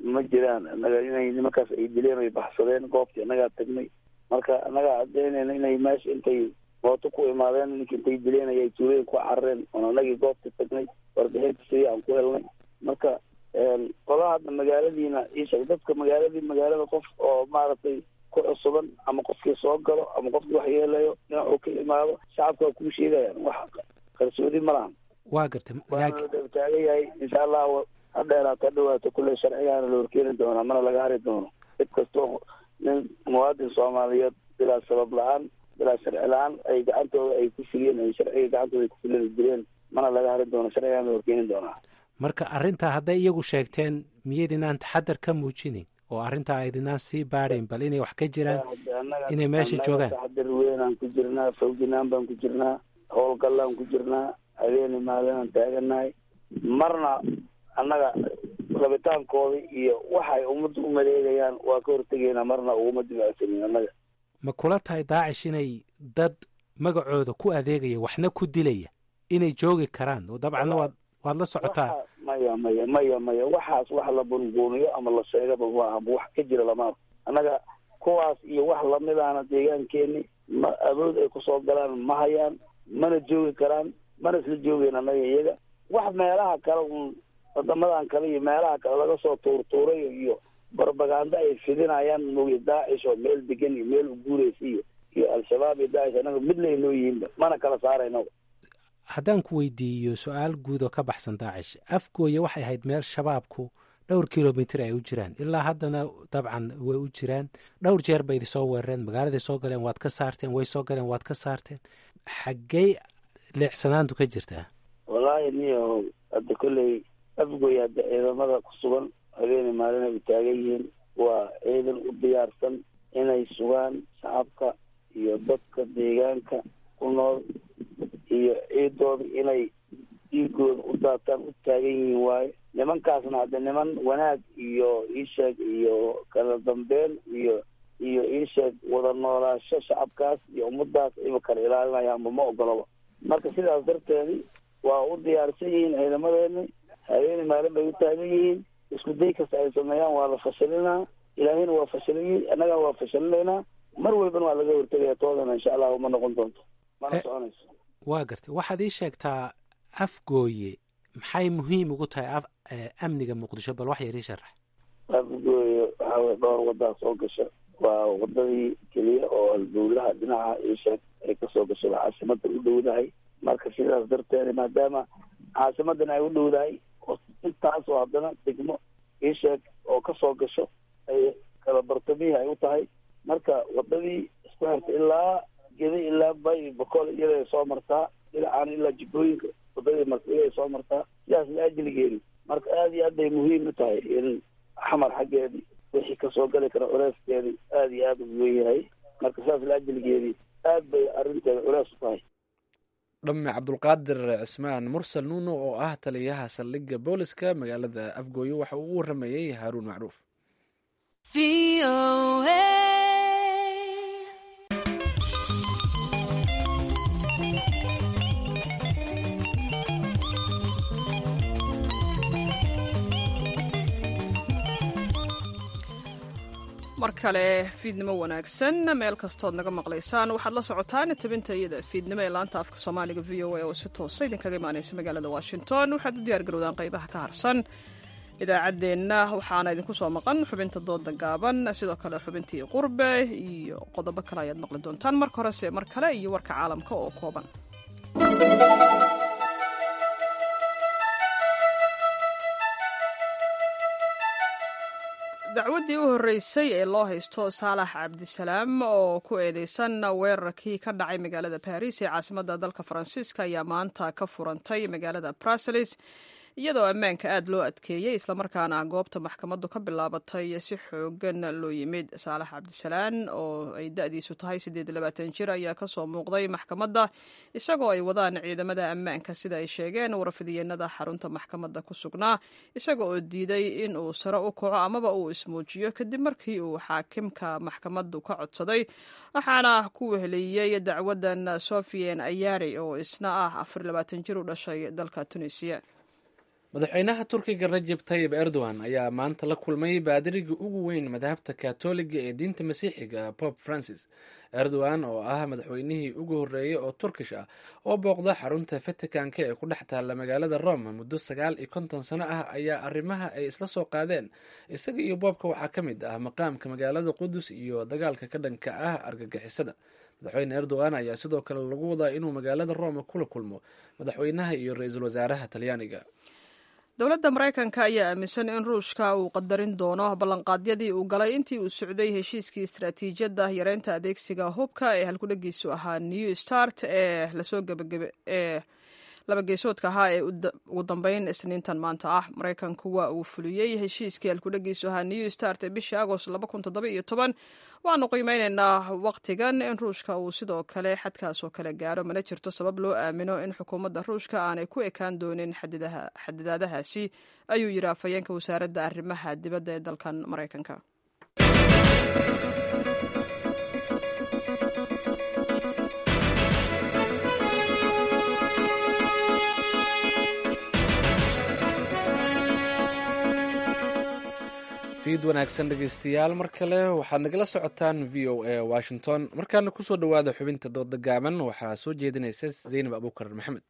ma jiraan. Annaga inay nimankaas ay dileen ay baxsadeen goobtii annagaa tagnay. Marka annagaa caddaynayna inay meesha intay mooto ku imaadeen ninka intay dileen ayay tuulooyin ku carareen, oon annagii goobta tagnay, warbixinta sidii aan ku helnay. Marka qolaha hadda magaaladiina ii sheeg dadka magaaladii magaalada qof oo maaragtay ku cusuban ama qofkii soo galo ama qofkii wax yeelayo dhinacuu ka imaado shacabka waa kuu sheegayaan, wax qarsoodi ma lahan. Waa gartay. Waana la taagan yahay, insha Allah ha dheeraato ha dhawaato kulley sharcigaana la horkeeni doonaa, mana laga hari doono. Cid kastoo nin muwaadin Soomaaliyeed bilaa sabab la-aan, bilaa sharci la-aan ay gacantooda ay ku fuliyeen, ay sharciga gacantooda ay ku fuliyeen dileen, mana laga hari doono, sharcigaana la horkeeni doonaa. Marka arrintaa hadday iyagu sheegteen, miyaydinaan taxadar ka muujinin oo arrintaa aydinaan sii baadhayn bal inay wax ka jiraan, inay meesha joogaan? Taxadar weynaan ku jirnaa, fawginaan baan ku jirnaa, howlgallaan ku jirnaa, habeeni maalinaan taagannahay. Marna annaga rabitaankooda iyo waxay ummadda u maleegayaan waa ka hortegaynaa, marna uguma dibacsanin annaga. Ma kula tahay Daacish inay dad magacooda ku adeegaya waxna ku dilaya inay joogi karaan? Oo dabcanna waad la socotaa. Maya, maya, maya, maya, waxaas wax la bunbuuniyo ama la sheegaba maaha, wax ka jira lama arko. Annaga kuwaas iyo wax lamidaana deegaankeeni ma awood ay kusoo galaan ma hayaan, mana joogi karaan, mana isla joogeyn annaga iyaga. Wax meelaha kale uun wadamadan kale iyo meelaha kale laga soo tuurtuuray iyo barbaganda ay fidinayaan mogi. Daacish oo meel degan iyo meel u guuraysa iyo Al-Shabaab iyo Daacish annaga mid laynoo yihiinba mana kala saarayno. Haddaan ku weydiiyo su-aal guud oo ka baxsan Daacish, Afgooye waxay ahayd meel Shabaabku dhowr kilomitir ay u jiraan, ilaa haddana dabcan way u jiraan. Dhowr jeer bay idin soo weerareen, magaaladay soo galeen, waad ka saarteen, way soo galeen, waad ka saarteen. Xaggey leecsanaantu ka jirtaa? Wallaahi niyo, hadda kolley Afgooye hadda ciidamada ku sugan habeeni maalin ay u taagan yihiin waa ciidan u diyaarsan inay sugaan shacabka iyo dadka deegaanka ku nool iyo ciidooda inay dhiigooda u daataan u taagan yihiin waaye. Nimankaasna hadda niman wanaag iyo iisheeg iyo kala dambeyn iyo iisheeg wada noolaasho shacabkaas iyo ummadaas ayba kala ilaalinayaanba ma ogolaba. Marka sidaas darteedi waa u diyaarsan yihiin ciidamadeeni, habeeni maalin bay u taagan yihiin. Isku day kasta ay sameeyaan waa la fashilinaa, Ilaahayna waa fashilinay, annagana waa fashilinaynaa, mar walbana waa laga hortegaya toodana, insha Allahu ma noqon doonto mana soconayso. Waa gartay. Waxaad ii sheegtaa Afgooye maxay muhiim ugu tahay amniga Muqdisho, bal wax yar ii sharax. Afgooye waxaa weye dhowr wadaa soo gasha, waa wadadii keliya oo halbowlaha dhinaca iisheeg ay kasoo gasho caasimada u dhowdahay. Marka sidaas darteed maadaama caasimadan ay u dhowdahay intaas oo haddana degmo iisheeg oo kasoo gasho ay kala bartamihii ay u tahay, marka wadadii isku xirta ilaa Gedi ilaa Bay Boqol iyada soo martaa, dhinacaan ilaa jibooyinka wadadii marta iyada soo martaa, sidaas la ajligeeni marka aada iyo aad bay muhiim u tahay in Xamar xaggeedii wixii kasoo gali kara culeyskeedii aada iyo aada u weyn yahay. Marka sidaas la ajligeedii aad bay arrinteeda culeys u tahay. Dhamme Cabdulqaadir Cismaan Mursal Nuuno oo ah taliyaha saldhigga booliska magaalada Afgooye waxa uu u waramayey Haaruun Macruuf. Mar kale fiidnimo wanaagsan meel kastood naga maqlaysaan. Waxaad la socotaan tabinta iyada fiidnimo ee laanta afka Soomaaliga VOA oo si toosa idinkaga imaanaysa magaalada Washington. Waxaad u diyaar garowdaan qaybaha ka harsan idaacaddeenna, waxaana idinku soo maqan xubinta dooda gaaban, sidoo kale xubintii qurbe iyo qodobo kale ayaad maqli doontaan. Marka horese mar kale iyo warka caalamka oo kooban. Dacwaddii u horreysay ee loo haysto Saalax Cabdisalaam oo ku eedeysan weerarkii ka dhacay magaalada Baris ee caasimadda dalka Faransiiska ayaa maanta ka furantay magaalada Brussels, iyadoo ammaanka aad loo adkeeyey, islamarkaana goobta maxkamaddu ka bilaabatay si xoogan loo yimid. Saalax Cabdisalaan oo ay da-diisu tahay 28 jir ayaa kasoo muuqday maxkamadda isagoo ay wadaan ciidamada ammaanka, sida ay sheegeen warfidiyeenada xarunta maxkamadda ku sugnaa, isaga oo diiday in uu sare u kaco amaba uu ismuujiyo kadib markii uu xaakimka maxkamaddu ka codsaday. Waxaana ku weheliyey dacwadan Sofian Ayari oo isna ah 24 jir u dhashay dalka Tunisiya. Madaxweynaha Turkiga Rajeb Tayib Erdogan ayaa maanta la kulmay baadiriga ugu weyn madhabta Katoliga ee diinta Masiixiga, Pope Francis. Erdogan oo ah madaxweynihii ugu horreeyey oo Turkish ah oo booqda xarunta Vaticanka ee ku dhex taalla magaalada Rome muddo 59 sano ah ayaa arrimaha ay isla soo qaadeen isaga iyo boobka waxaa ka mid ah maqaamka magaalada Qudus iyo dagaalka ka dhanka ah argagixisada. Madaxweyne Erdogan ayaa sidoo kale lagu wadaa inuu magaalada Rome kula kulmo madaxweynaha iyo ra-iisul wasaaraha Talyaaniga. Dowladda Maraykanka ayaa aaminsan in Ruushka uu qadarin doono ballanqaadyadii uu galay intii uu socday heshiiskii istaraatiijiyadda yareynta adeegsiga hubka ee halkudhegiisu ahaa New Start ee lasoo gabagabe ee labageesoodka ahaa ee ugu dambeyn Isniintan maanta ah Maraykanku waa uu fuliyey heshiiskii halkudhegiisu ahaa New Start ee bishii Agost 2017. Waanu qiimeyneynaa waqtigan in Ruushka uu sidoo kale xadkaasoo kale gaaro. Mana jirto sabab loo aamino in xukuumadda Ruushka aanay ku ekaan doonin xadidaadahaasi, ayuu yidhi afhayeenka wasaaradda arrimaha dibadda ee dalkan Maraykanka. Fiid wanaagsan, dhegeystayaal, mar kale. Waxaad nagala socotaan VOA Washington. Markaana kusoo dhowaada xubinta dooda gaaban. Waxaa soo jeedinaysa Zaynab Abuukar Maxamed.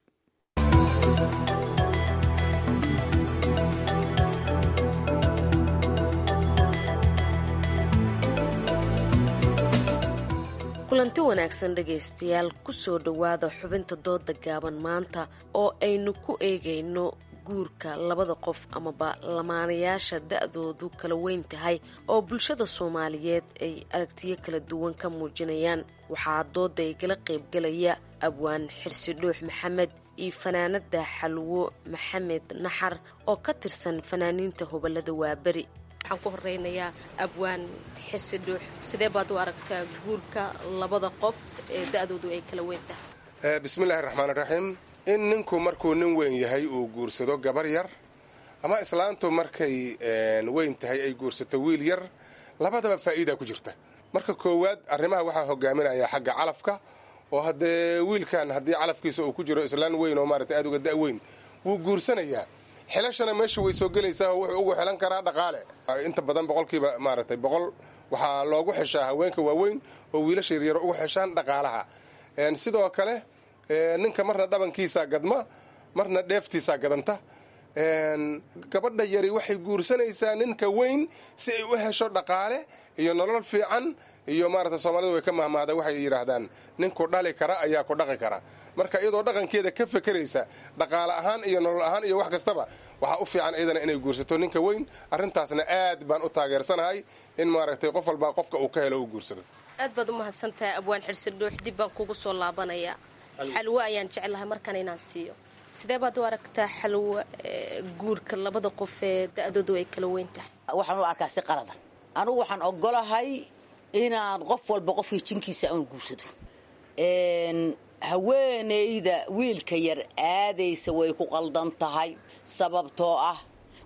Kulanti wanaagsan, dhegaystayaal, kusoo dhowaada xubinta dooda gaaban maanta oo aynu ku eegayno guurka labada qof amaba lamaanayaasha da-doodu kala weyn tahay oo bulshada Soomaaliyeed ay aragtiyo kala duwan ka muujinayaan. Waxaa dooda igala qaybgalaya abwaan Xirsi Dhuux Maxamed iyo fanaanada Xalwo Maxamed Naxar oo ka tirsan fanaaniinta hobolada Waaberi. Waxaan ku horeynayaa abwaan Xirsi Dhuux. Sidee baad u aragtaa guurka labada qof ee da-doodu ay kala weyn tahay? Bismillahi raxmaan raxiim. In ninku markuu nin weyn yahay uu guursado gabar yar, ama islaantu markay weyn tahay ay guursato wiil yar, labadaba faa'iida ku jirta. Marka koowaad, arrimaha waxaa hogaaminaya xagga calafka, oo haddee wiilkan haddii calafkiisa uu ku jiro islaan weyn oo maarata aad uga da' weyn, wuu guursanayaa. Xilashana meesha way soo gelaysaa, oo wuxuu ugu xilan karaa dhaqaale. Inta badan boqolkiiba maaragtay 100 waxaa loogu xeshaa haweenka waaweyn oo wiilasha yaryar ugu xeshaan dhaqaalaha. Sidoo kale ninka marna dhabankiisaa gadma, marna dheeftiisaa gadanta. Gabadha yari waxay guursanaysaa ninka weyn si ay u hesho dhaqaale iyo nolol fiican. Iyo maarata Soomaalida way ka mahmaada, waxay yidhaahdaan ninku dhali kara ayaa ku dhaqi kara. Marka iyadoo dhaqankeeda ka fekeraysa dhaqaale ahaan iyo nolol ahaan iyo wax kastaba, waxaa u fiican iyadana inay guursato ninka weyn. Arrintaasna aad baan u taageersanahay in maaragtay qof walbaa qofka uu ka helo uu guursado. Aad baad u mahadsantahay, abwaan Xirsi Dhuux. Dib baan kugu soo laabanayaa. Xalwo ayaan jeclahay markan inaan siiyo. Sidee baad u aragtaa, Xalwo, guurka labada qof ee da-doodu ay kala weyn tahay? Waxaan u arkaa si qalada. Anugu waxaan ogolahay inaan qof walba qofkii jinkiisa aan guursado. Haweenayda wiilka yar aadaysa way ku qaldan tahay, sababtoo ah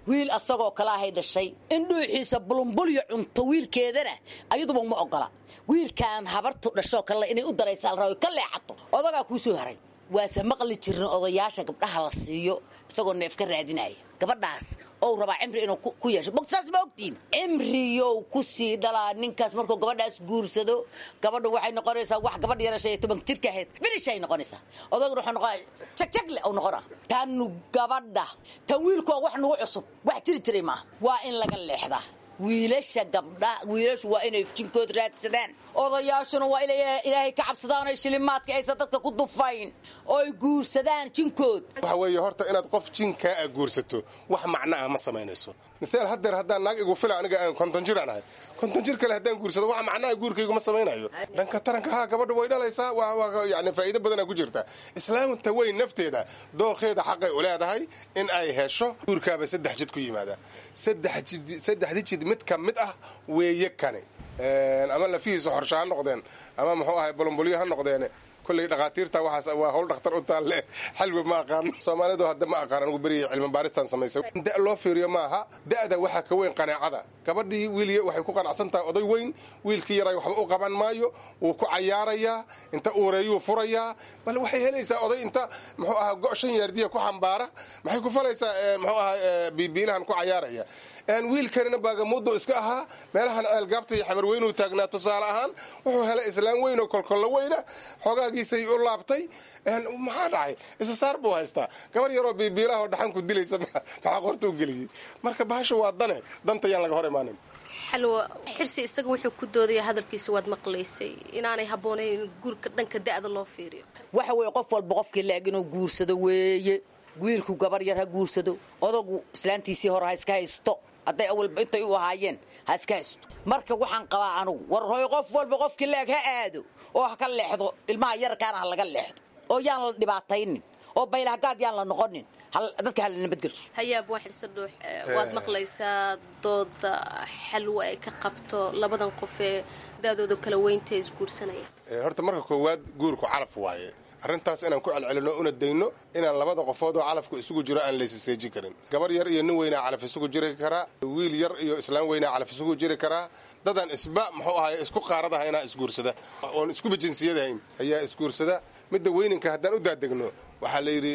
wiil asagoo kale ahay dhashay in dhuuxiisa bulumbulyo cunto wiilkeedana ayaduba uma ogola. Wiilkaan habartu dhashoo kale inay u daraysaa la rabo, ka leexato. Odagaa kuu soo haray, waase maqli jirin odayaasha gabdhaha la siiyo isagoo neef ka raadinaya gabadhaas ou rabaa cimri inuu ku yeesho. Bogsaas ma ogtiin cimriyow ku sii dhalaa ninkaas markuu gabadhaas guursado. Gabadhu waxay noqonaysaa wax gabadh yara 15 jirka ahayd finish ay noqonaysaa. Odaguna wuxuu noqonaya jagjagle uu noqonaa. Tanu gabadha tan wiilku waa wax nagu cusub, wax jiri jiray maaha. Waa in laga leexdaa wiilasha gabdha. Wiilashu waa inay jinkood raadsadaan, odayaashuna waa inay Ilaahay ka cabsadaan oy shilimaadka aysan dadka ku dufayn oy guursadaan jinkood. Waxa weeye horta inaad qof jinkaa a guursato wax macno ah ma samaynayso. Mithaal, haddeer haddaan naag igu fila, aniga aan 50 jir aan ahay, 50 jir kale haddaan guursado, wax macnaha guurkaygu ma samaynayo. Dhanka taranka, haa, gabadha way dhalaysaa, yani faa'iido badanaa ku jirta. Islaamta weyn nafteeda dooqeeda xaqay u leedahay in ay hesho. Guurkaaba saddex jid ku yimaada, saddexdi jid mid ka mid ah weeye kani. Ama lafihiisa xorsho ha noqdeen, ama muxuu ahay bolomboliyo ha noqdeen. Kolley dhakhaatiirta waxaas waa howl dhakhtar u taalle. Xalwi ma aqaan, Soomaalidu hadda ma aqaan. Anigu berigii cilmi baaristaan samaysay, da' loo fiiriyo maaha. Da'da waxaa ka weyn qanaacada. Gabadhii wiil waxay ku qanacsan tahay oday weyn, wiilkii yaray waxba u qaban maayo, wuu ku cayaarayaa, inta uureeyuu furayaa. Bal waxay helaysaa oday inta muxuu ahaa go' 5 yaardiya ku xambaara. Maxay ku falaysaa muxuu ahaa biibiilahan ku cayaaraya? Wiilkanina baagamuudo iska ahaa, meelahan Ceelgaabta iyo Xamar Weynuu taagnaa tusaale ahaan. Wuxuu helay islaam weyn oo kolkollo weyna, xoogaagiisay u laabtay. Maxaa dhacay? Isa saar buu haystaa. Gabar yaroo biibiilaha oo dhaxan ku dilaysa maxaa qorta u geliyey? Marka bahasha waa dane, danta yaan laga hor imaanin. Xalwo, Xirsi isaga wuxuu ku doodaya, hadalkiisa waad maqlaysay, inaanay habboonayn in guurka dhanka da'da loo fiiriyo. Waxa weeye, qof walba qofkii la-eg inuu guursado weeye. Wiilku gabar yar ha guursado, odagu islaantiisii hore ha iska haysto, hadday awalba intay u ahaayeen ha iska haysto. Marka waxaan qabaa anugu, war hoy, qof walba qofkii la-eg ha aado oo ha ka leexdo ilmaha yarkaana, ha laga leexdo oo yaan la dhibaataynin oo baylahagaad yaan la noqonin, dadka hala nabadgelsho. Hayaab waa Xirso Dhuux, waad maqlaysaa dooda Xalwo ay ka qabto labadan qof ee da'dooda kala weynta isguursanaya. Horta marka koowaad, guurku calaf waaye. Arrintaas inaan ku celcelino una dayno, inaan labada qofood oo calafku isugu jiro aan laysiseejin karin. Gabar yar iyo nin weynaa calaf isugu jiri karaa, wiil yar iyo islaam weynaa calaf isugu jiri karaa. Dadaan isba muxuu ahay isku qaaradaha inaa isguursada oon iskuba jinsiyadahayn ayaa isguursada. Midda weyninka haddaan u daadegno, waxaa la yidhi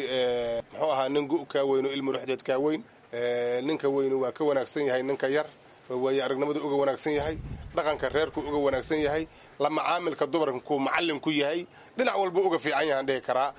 muxuu ahaa, nin gu kaa weyno ilmu ruxdeed kaa weyn. Ninka weynu waa ka wanaagsan yahay ninka yar, waayo aragnimadu uga wanaagsan yahay, dhaqanka reerku uga wanaagsan yahay, la macaamilka dumarkuu macallin ku yahay, dhinac walba uga fiican yahaan dhihi karaa.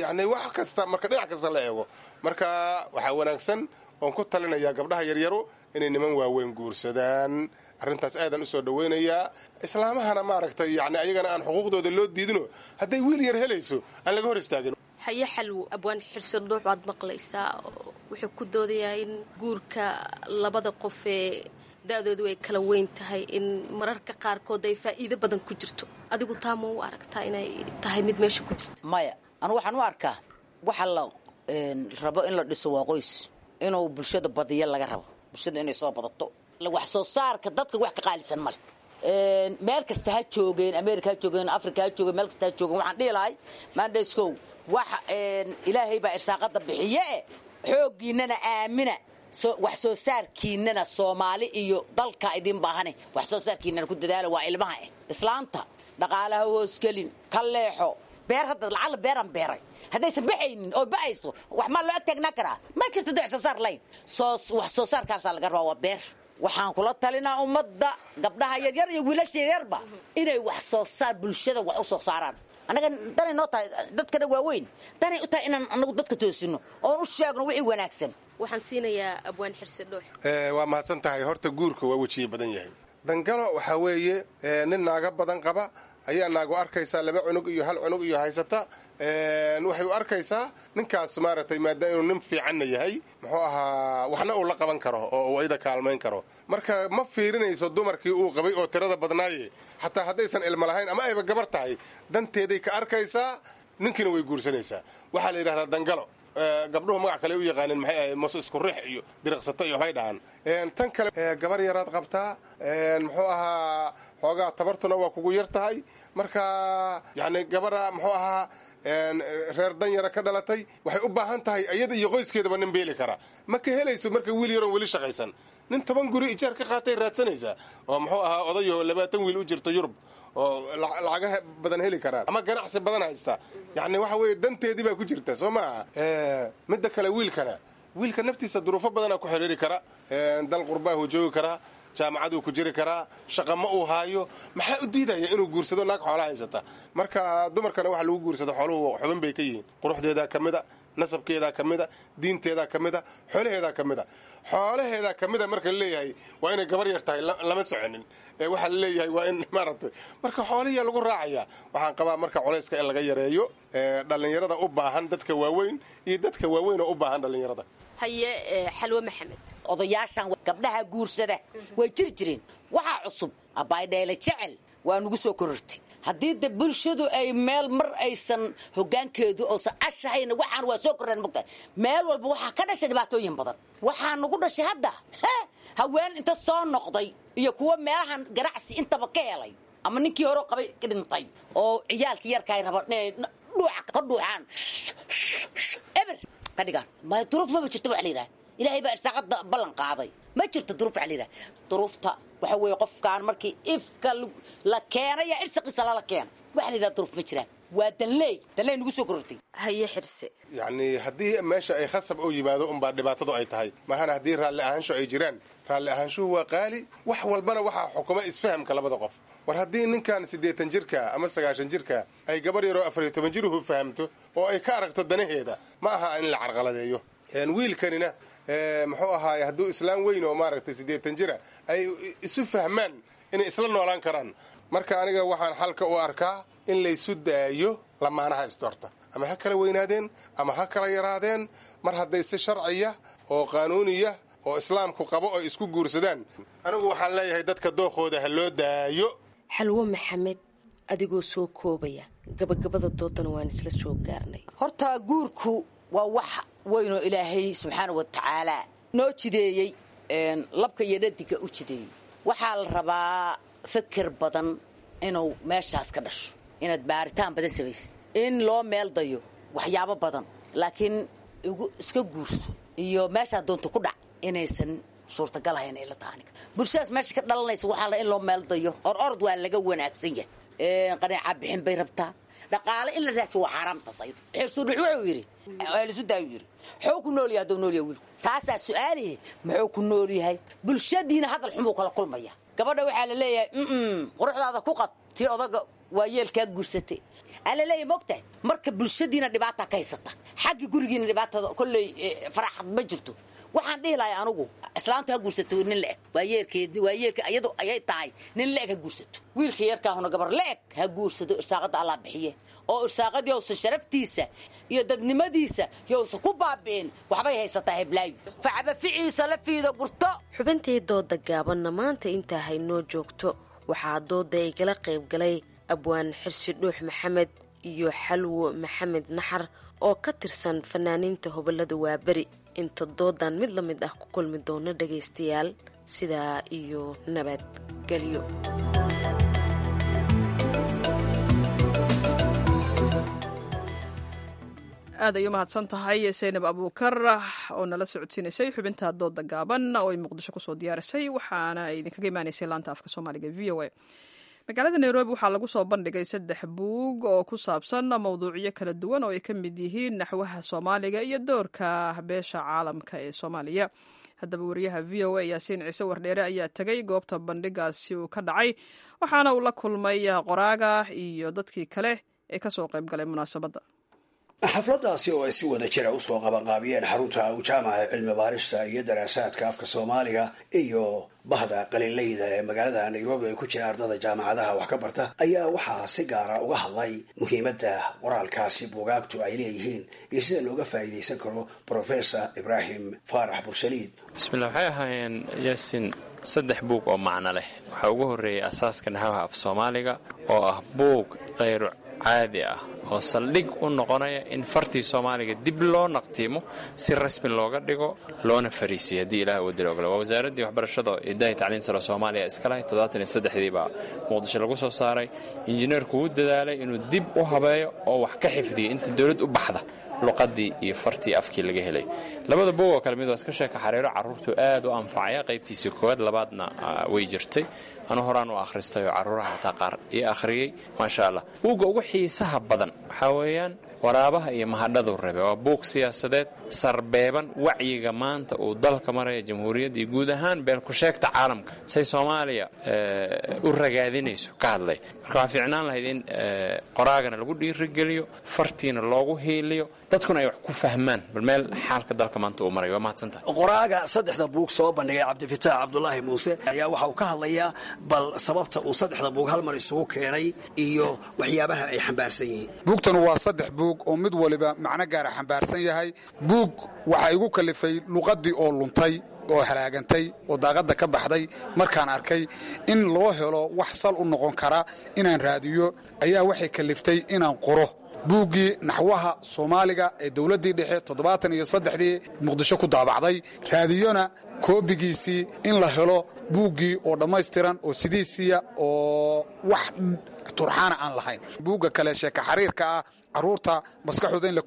Yacni wax kasta marka dhinac kasta la eego, marka waxaa wanaagsan oon ku talinayaa gabdhaha yaryaru inay niman waaweyn guursadaan. Arrintaas aadaan usoo dhaweynayaa. Islaamahana maaragtay, yani ayagana aan xuquuqdooda loo diidino, hadday wiil yar helayso aan laga hor istaagin. Haye Xalwo, abwaan Xirso Dhuux waad maqlaysaa, wuxuu ku doodayaa in guurka labada qof ee da-doodu ay kala weyn tahay in mararka qaarkood ay faa'iido badan ku jirto. Adigu taa ma u aragtaa inay tahay mid meesha ku jirto? Maya, anu waxaan u arkaa waxa la rabo in la dhiso waa qoys, inuu bulshada badiyo laga rabo, bulshada inay soo badato. Wax soo saarka dadka wax ka qaalisan male. Meel kasta ha joogeen, America ha joogeen, Africa ha joogeen, meel kasta ha joogeen, waxaan dhihi lahay maandhayskow, wax Ilaahay baa irsaaqada bixiye e, xooggiinana aamina, wax soo saarkiinana Soomaali iyo dalka idin baahane, wax soo saarkiinana ku dadaala. Waa ilmaha eh islaanta dhaqaalaha hoosgelin, ka leexo. Beer hadda lacala beeraan beeray, haddaysan baxaynin oo ba'ayso, wax maa loo ag taagnaa karaa? Ma jirto wax soo saar layn. Wax soo saarkaasaa laga rabaa, waa beer. Waxaan kula talinaa ummadda, gabdhaha yaryar iyo wiilasha yaryarba, inay wax soo saar bulshada wax u soo saaraan. Annaga danay noo tahay, dadkana waaweyn danay u tahay inaan anagu dadka toosino oon u sheegno wixii wanaagsan. Waxaan siinayaa abwaan Xirsi Dhuux. Waa mahadsan tahay. Horta guurka waa wejiye badan yahay. Dangalo waxaa weeye nin naaga badan qaba ayaa naagu arkaysaa laba cunug iyo hal cunug iyo haysata. Waxay u arkaysaa ninkaas maaragtay, maadaama inuu nin fiicanna yahay, muxuu ahaa, waxna uu la qaban karo oo uu ayada kaalmayn karo. Marka ma fiirinayso dumarkii uu qabay oo tirada badnaaye. Xataa haddaysan ilmo lahayn ama ayba gabar tahay, danteeday ka arkaysaa, ninkiina way guursanaysaa. Waxaa la yidhahdaa dangalo. Gabdhuhu magac kale u yaqaanin, maxay ahayd, mos isku rix iyo diriqsato iyo waxbay dhahaan. Tan kale, gabar yaraad qabtaa, muxuu ahaa, xoogaa tabartuna waa kugu yar tahay. Marka yacni gabara muxuu ahaa reer danyara ka dhalatay waxay u baahan tahay iyada iyo qoyskeedaba nin beeli kara. Ma ka helayso marka wiil yaroon weli shaqaysan. Nin 10 guri ijaar ka qaatay raadsanaysaa oo muxuu ahaa odayoo 20 wiil u jirto Yurub oo lacagaha badan heli karaa ama ganacsi badan haysta. Yacni waxa weeye danteedii baa ku jirta, soo maaha? Midda kale, wiilkana, wiilka naftiisa duruufo badanaa ku xiriiri kara. Dal qurbaahu joogi karaa, jaamacaduu ku jiri karaa, shaqa ma uu haayo. Maxaa u diidaya inuu guursado naag xoola haysata? Marka dumarkana waxa lagu guursado xooluhu xubin bay ka yihiin. Quruxdeedaa ka mid a, nasabkeedaa ka mid a, diinteedaa ka mid a, xoolaheedaa ka mid a. Xoolaheedaa ka mid a marka la leeyahay waa inay gabar yar tahay lama soconin. Ee waxaa la leeyahay waa in maaragtay marka xoolihiyaa lagu raacaya. Waxaan qabaa marka culayska in laga yareeyo dhallinyarada u baahan dadka waaweyn iyo dadka waaweyn oo u baahan dhallinyarada. Haye, Xalwe Maxamed. Odayaashan gabdhaha guursada way jiri jireen. Waxaa cusub abaydheele jecel waa nugu soo korortay. Haddii de bulshadu ay meel mar aysan hogaankeedu oosan ashahayna, waxaan waa soo kordhaan mogtahay. Meel walba waxaa ka dhashay dhibaatooyin badan. Waxaa nagu dhashay hadda haween inta soo noqday iyo kuwo meelahan ganacsi intaba ka helay ama ninkii hore qabay ka dhintay oo ciyaalkii yarkaay raba inay dhuuca ka dhuuxaan, eber ka dhigaan. Ma duruuf maba jirto waxa la yidhaha. Ilaahay baa irsaaqada ballan qaaday. Ma jirto duruuf waxa la yidhaha. Duruufta waxa weeye qofkaan markii ifka la keenaya irsaqiisa lala keena. Waxa la yidhaha duruuf ma jiraan. Waa danleey, danleey nagu soo korortay. Haye, Xirse. Yacni haddii meesha ay khasab u yimaado unbaa dhibaatadu ay tahay, mahana haddii raalli ahaansho ay jiraan, raalli ahaanshuhu waa qaali. Wax walbana waxaa xukuma isfahamka labada qof. War haddii ninkan 80 jirka ama 90 jirka ay gabar yaroo 14 jiruhu fahamto oo ay ka aragto danaheeda, ma aha in la carqaladeeyo. Wiilkanina muxuu ahaaye, hadduu islaam weyn oo maaragtay 80 jira ay isu fahmaan inay isla noolaan karaan. Marka aniga waxaan xalka u arkaa in laysu daayo lamaanaha isdoorta, ama ha kala weynaadeen ama ha kala yaraadeen, mar hadday si sharciya oo qaanuuniya oo islaamku qabo oo isku guursadaan. Anigu waxaan leeyahay dadka dookooda ha loo daayo. Xalwo Maxamed, adigoo soo koobaya, gabagabada doodana waan isla soo gaarnay. Horta guurku waa wax weynoo Ilaahay subxaana wa tacaala noo jideeyey, labka iyo dhadiga u jideeyey. Waxaa la rabaa fikir badan inuu meeshaas ka dhasho, inaad baaritaan badan samaysid, in loo meel dayo waxyaabo badan, laakiin iska guurso iyo meeshaa doonta ku dhac inaysan suurtagal ahayn ila taha aniga. Bulshadaas meesha ka dhalanaysa waxaa la in loo meel dayo. Or orod waa laga wanaagsan yahay. Qaneeca bixin bay rabtaa, dhaqaale in la raadsho waa xaaraamtaas ayadu. Xirsuudhux wuxuu yidhi lisu daayu yidhi, muxuu ku nool yahay hadduu nool yahay wiilku? Taasaa su-aalihi, muxuu ku nool yahay? Bulshadiina hadal xumuu kala kulmaya. Gabadha waxaa la leeyahay quruxdaada ku qad tii odaga waa yeelkaa guursatay aa la leeyahay, mogtahay. Marka bulshadiina dhibaata ka haysata, xagga gurigiina dhibaatada kolley faraxad ma jirto. Waxaan dhihi lahay anugu islaamtu ha guursato nin la-eg, waa yeerkeed, waa yeerka iyadu ayay tahay, nin la-eg ha guursato. Wiilka yarkaahuna gabar la-eg ha guursado. Irsaaqada Allah bixiye, oo irsaaqadii uusan sharaftiisa iyo dadnimadiisa yousan ku baabi'in. Waxbay haysataa heblaayo, facaba ficiisa la fiido gurto. Xubintii dooda gaabanna maanta intaa haynoo joogto. Waxaa dooda igala qayb galay abwaan Xirsi Dhuux Maxamed iyo Xalwo Maxamed Naxar oo ka tirsan fanaaniinta hobolada Waaberi. Inta doodan mid la mid ah ku kulmi doono dhagaystayaal, sidaa iyo nabadgelyo. Aad ay u mahadsan tahay Saynab Abuukar oo nala socodsiinaysay xubinta dooda gaaban oo ay Muqdisho kusoo diyaarisay, waxaana ay idinkaga imaanaysay laanta afka Soomaaliga VOA. Magaalada Nairobi waxaa lagu soo bandhigay saddex buug oo ku saabsan mowduucyo kala duwan oo ay ka mid yihiin naxwaha Soomaaliga iyo doorka beesha caalamka ee Soomaaliya. Haddaba wariyaha VOA Yaasiin Ciise Wardheere ayaa tegay goobta bandhigaasi uu ka dhacay, waxaana uu la kulmay qoraaga iyo dadkii kale ee kasoo qayb galay munaasabadda. Xafladaasi oo ay si wada jira usoo qabanqaabiyeen xarunta Jaamaca cilmi baarista iyo daraasaadka afka Soomaaliga iyo bahda qaliinleyda ee magaalada Nairobi ay ku jira ardada jaamacadaha wax ka barta, ayaa waxaa si gaara uga hadlay muhiimadda qoraalkaasi buugaagtu ay leeyihiin iyo sida looga faa'iidaysan karo Professor Ibraahim Faarax Bursaliid. Bismillah, waxay ahaayeen Yaasin saddex buug oo macno leh. Waxaa ugu horreeyay Asaaska Naxwaha Af Soomaaliga oo ah buug khayru caadi ah oo saldhig u noqonaya in fartii Soomaaliga dib loo naqtiimo, si rasmi looga dhigo loona fariisiyo haddii Ilaah uu dilo ogole. Waa wasaaraddii waxbarashada idahi tacliin sare Soomaaliya iska lahay. 73-dii baa Muqdisho lagu soo saaray. Injineerku wuu dadaalay inuu dib u habeeyo oo wax ka xifdiyo inta dowlad u baxda luqadii iyo fartii afkii laga helay. Labada buug oo kale mid waa iska sheeka xariiro, carruurtu aad u anfacaya. Qaybtiisii koowaad labaadna way jirtay, anu horaan u akhristay oo carruuraha xataa qaar ii akhriyey, maasha Allah. Buugga ugu xiisaha badan waxaa weeyaan Waraabaha iyo Mahadhadu Rabe. Waa buug siyaasadeed sarbeeban, wacyiga maanta uu dalka maraya, jamhuuriyadda iyo guud ahaan beelku-sheegta caalamka say Soomaaliya u ragaadinayso ka hadlay. Marka waxaa fiicnaan lahayd in qoraagana lagu dhiirigeliyo, fartiina loogu hiiliyo, dadkuna ay wax ku fahmaan bal meel xaalka dalka maanta uu marayo. Waa mahadsantahay. Qoraaga saddexda buug soo bandhigay, Cabdifitaax Cabdulaahi Muuse, ayaa waxa uu ka hadlayaa bal sababta uu saddexda buug hal mar isugu keenay iyo waxyaabaha ay xambaarsan yihiin. Buugtan waa saddex buug. buug oo mid waliba macno gaara xambaarsan yahay. Buug waxaa igu kalifay luqaddii oo luntay oo halaagantay oo daaqadda ka baxday. Markaan arkay in loo helo wax sal u noqon kara inaan raadiyo ayaa waxay kaliftay inaan qoro buuggii naxwaha soomaaliga ee dowladdii dhexe 73-dii Muqdisho ku daabacday, raadiyona koobigiisii in la helo buuggii oo dhammaystiran oo sidiisiya oo wax turxaana aan lahayn. Buugga kale sheeka xariirka ah, carruurta maskaxdooda in la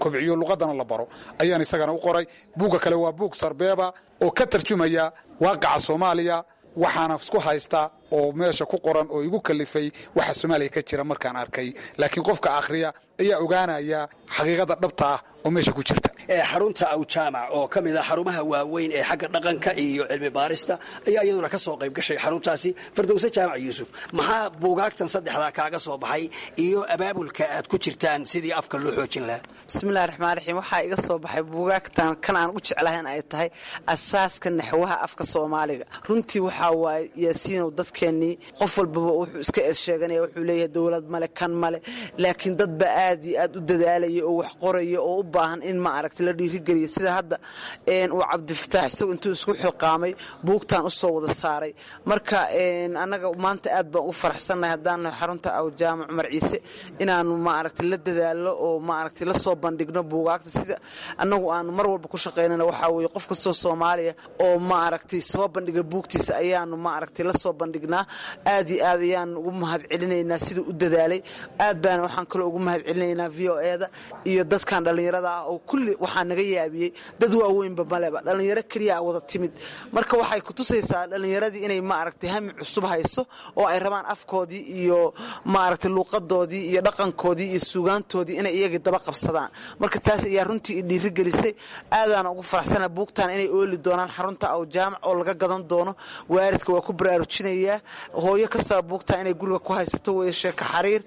kobciyo luqaddana la baro ayaan isagana u qoray. Buugga kale waa buug sarbeeba oo ka tarjumaya waaqaca Soomaaliya, waxaana isku haysta oo meesha ku qoran oo igu kalifay waxa Soomaaliya ka jira markaan arkay, laakiin qofka akhriya ayaa ogaanaya xaqiiqada dhabta ah oo meesha ku jirta. Xarunta Awjaamac oo ka mid ah xarumaha waaweyn ee xagga dhaqanka iyo cilmi baarista ayaa iyaduna ka soo qayb gashay xaruntaasi. Fardowse Jaamac Yuusuf, maxaa buugaagtan saddexdaa kaaga soo baxay iyo abaabulka aad ku jirtaan sidii afka loo xoojin lahaa? Bismillahi raxmaan raxiim. Waxaa iga soo baxay buugaagtan kan aan u jeclahay in ay tahay asaaska naxwaha afka soomaaliga. Runtii waxaa waaye Yaasiinow, dadkeennii qof walbaba wuxuu iska eedsheeganaya, wuxuu leeyahay dowlad male, kan male, laakiin dadba aad iyo aad u dadaalaya oo wax qoraya oo u baahan in ma aragta la dhiirigeliya, sida hadda uu Cabdifataax isagu intuu isku xilqaamay buugtan u soo wada saaray. Marka annaga maanta aad baan u faraxsannahay haddaan xarunta Awjaamac Cumar Ciise inaanu ma aragta la dadaalo oo ma aragta la soo bandhigno buugaagta. Sida annagu aanu mar walba ku shaqaynana waxaa weeye qof kastoo Soomaaliya oo ma aragtay soo bandhiga buugtiisa ayaanu ma aragtay la soo bandhignaa. Aad iyo aad ayaan ugu mahad celinaynaa siduu u dadaalay. Aad baana waxaan kaloo ugu mahad celinaynaa VOA-da iyo dadkan dhallinyarada ah oo kulli waxaa naga yaabiyey, dad waaweynba maleba, dhallinyaro keliya wada timid. Marka waxay ku tusaysaa dhallinyaradii inay ma aragtay hami cusub hayso oo ay rabaan afkoodii iyo ma aragtay luuqadoodii iyo dhaqankoodii iyo suugaantoodii inay iyagii daba qabsadaan. Marka taas ayaa runtii i dhiirigelisay, aadaana ugu faraxsana buugtan inay ooli doonaan xarunta Awjaamac oo laga gadan doono. Waalidka waa ku baraarujinayaa, hooyo kastaba buugtan inay guriga ku haysato weeye. Sheeka xariir,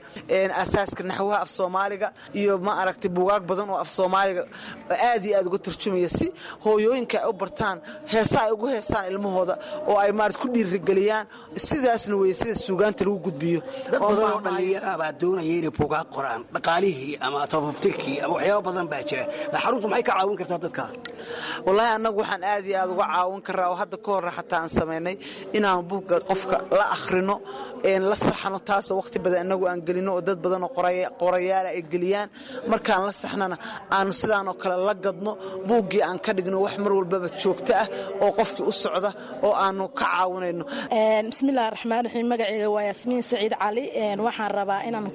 asaaska naxwaha af soomaaliga iyo ma aragtay buugaag badan oo af soomaaliga aad iyo aad uga tarjumaya, si hooyooyinka ay u bartaan heesa ay ugu heesaan ilmahooda oo ay maarata ku dhiirigeliyaan. Sidaasna weeye sida suugaanta lagu gudbiyo. Dad badan oo dhallinyara baa doonaya inay buugaag qoraan, dhaqaalihii ama tafaftirkii ama waxyaaba badan baa jira. Xaruntu maxay ka caawin kartaa dadka? Wallaahi annagu waxaan aad iyo aad uga caawin karaa oo hadda ka horre xataa aan samaynay inaan buugga qofka la akhrino, la saxno, taasoo wakhti badan innagu aan gelino oo dad badan oo qorayaala ay geliyaan. Markaan la saxnana aanu sidaanoo kale la gadno buuggii, aan ka dhigno wax mar walbaba joogto ah oo qofkii u socda oo aanu ka caawinayno. Bismillahi raxmaan raxiim. Magaceyga waa Yaasmiin Saciid Cali. Waxaan rabaa inaan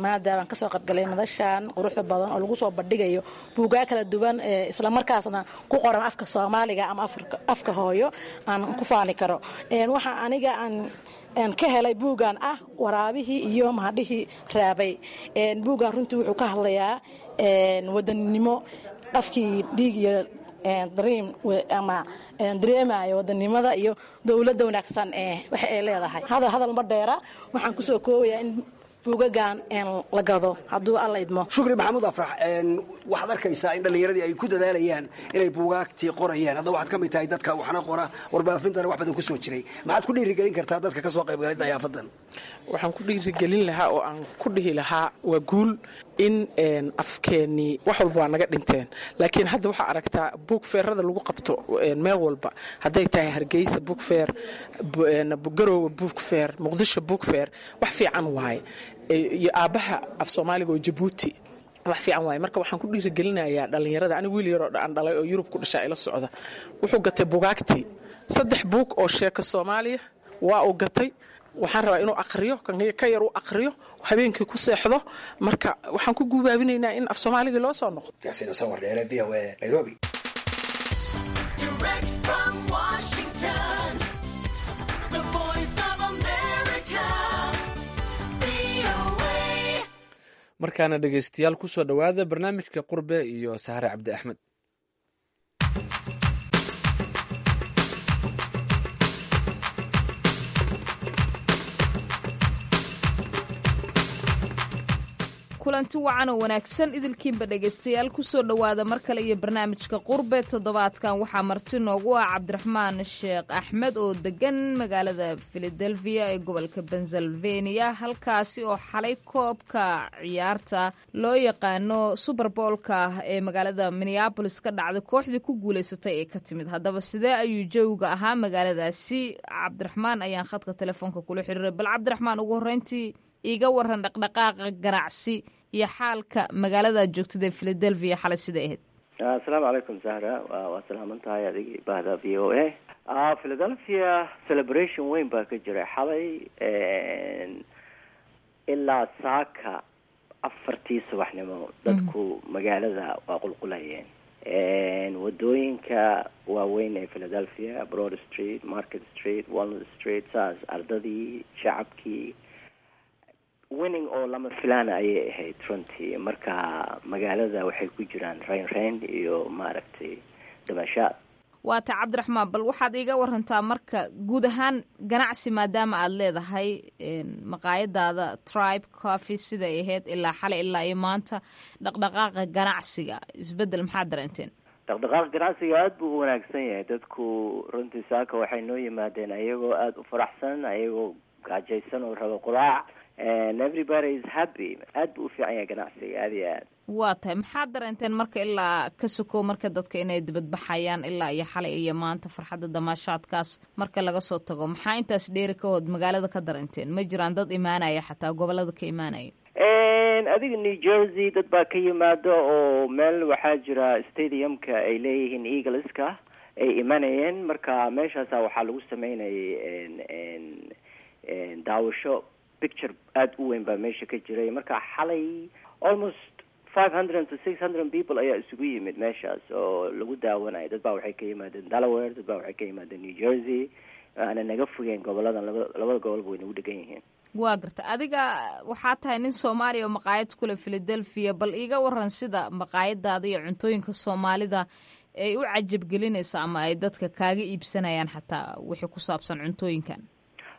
maadaabaan kasoo qaybgalay madashan quruxda badan oo lagu soo bandhigayo buugaa kala duwan, islamarkaasna ku qoran afka soomaaliga ama afka hooyo aan ku faani karo. Waxa aniga aan ka helay buuggan ah waraabihii iyo mahadhihii raabay. Buuggan runtii wuxuu ka hadlayaa wadaninimo, afkii dhiig iyo dream ama dareemayo wadanimada iyo dowladda wanaagsan ee waxa ay leedahay. Hadal hadal ma dheera, waxaan kusoo koobayaa in buugagan la gado hadduu Alla idmo. Shukri Maxamuud Afrax, waxaad arkaysaa in dhallinyaradii ay ku dadaalayaan inay buugaagtii qorayaan. Hadda waxaad ka mid tahay dadka waxna qora, warbaafintana wax badan ku soo jiray. Maxaad ku dhiirigelin kartaa dadka ka soo qaybgalay dayaafadan? Waxaan ku dhiirigelin lahaa oo aan ku dhihi lahaa waa guul in afkeennii wax walba waa naga dhinteen, laakiin hadda waxaa aragtaa buug feerada lagu qabto meel walba, hadday tahay Hargeysa buug feer, Garoowe buug feer, Muqdisho buug feer. Wax fiican waaye, iyo aabbaha af soomaaliga oo Jabuuti, wax fiican waaye. Marka waxaan ku dhiirigelinayaa dhallinyarada. Anigu wiil yaroo aan dhalay oo Yurub ku dhashaa ila socda, wuxuu gatay bugaagtii, 3 buug oo sheeka soomaaliya waa uu gatay. Waxaan rabaa inuu aqriyo, ka yar u aqriyo, habeenkii ku seexdo. Marka waxaan ku guubaabinaynaa in af soomaaligii loo soo noqdo. Yaasiin Sawar Dheere, VOA, Nairobi. Direct from Washington, the voice of America, VOA. Markaana dhegaystayaal, ku soo dhowaada barnaamijka Qurbe iyo Sahre Cabdi Axmed. Kulanti wacan oo wanaagsan idilkiinba dhegaystayaal, kusoo dhowaada mar kale iyo barnaamijka Qurbe. Toddobaadkan waxaa marti noogu ah Cabdiraxmaan Sheekh Axmed oo degan magaalada Philadelphia ee gobolka Pennsylvania, halkaasi oo xalay koobka ciyaarta loo yaqaano Super Bowlka ee magaalada Minneapolis ka dhacday kooxdii ku guuleysatay ee ka timid. Haddaba sidee ayuu jawiga ahaa magaaladaasi? Cabdiraxmaan ayaan khadka telefoonka kula xiriiray. Bal Cabdiraxmaan, ugu horreyntii iiga waran dhaqdhaqaaqa ganacsi iyo xaalka magaalada aad joogtid ee Philadelphia xalay siday ahayd. Asalaamu calaykum Zahra, waa salaaman tahay adigii bahda VOA. Philadelphia celebration weyn baa ka jiray xalay ilaa saaka 4-tii subaxnimo. Dadku magaalada waa qulqulayeen, wadooyinka waaweyn ee Philadelphia, Broad Street, Market Street, Walnut Street, saas ardadii, shacabkii, winning oo lama filaana ayay ahayd runtii. Marka magaalada waxay ku jiraan rayn rayn iyo maaragtay damashaad. Waata Cabdiraxmaan, bal waxaad iiga warantaa marka guud ahaan ganacsi, maadaama aada leedahay maqaayadaada Tribe Coffee, siday ahayd ilaa xalay ilaa iyo maanta dhaqdhaqaaqa ganacsiga, isbeddel maxaad dareenteen? Dhaqdhaqaaqa ganacsiga aada buu u wanaagsan yahay. Dadku runtii saaka waxay noo yimaadeen ayagoo aada u faraxsan, ayagoo gaajaysan oo raba quraac, and everybody is happy. Aad buu u fiican yahay ganacsiga, aada iyo aad. Waa tahay. Maxaad dareenteen marka ilaa ka sokow marka dadka inay dibadbaxayaan ilaa iyo xalay iyo maanta, farxadda damaashaadkaas marka laga soo tago, maxaa intaas dheeri ka hood magaalada ka dareenteen? Ma jiraan dad imaanaya xataa gobolada ka imaanaya? Adiga New Jersey dad baa ka yimaado, oo meel waxaa jira stadiumka ay leeyihiin Eagleska ay imanayeen. Marka meeshaasa waxaa lagu sameynayay daawasho, picture aada u weyn baa meesha ka jiray. Marka xalay almost 500 to 600 people ayaa isugu yimid meeshaas oo lagu daawanayo. Dad baa waxay ka yimaadeen Delaware, dad baa waxay ka yimaadeen New Jersey, aana naga fogeen goboladan, labada gobolba way nagu dhegan yihiin. Waa garta. Adiga waxaa tahay nin Soomaaliya oo maqaayad kule Philadelphia. Bal iiga waran sida maqaayadaada iyo cuntooyinka Soomaalida ay u cajabgelinaysa ama ay dadka kaaga iibsanayaan, xataa wixii ku saabsan cuntooyinkan.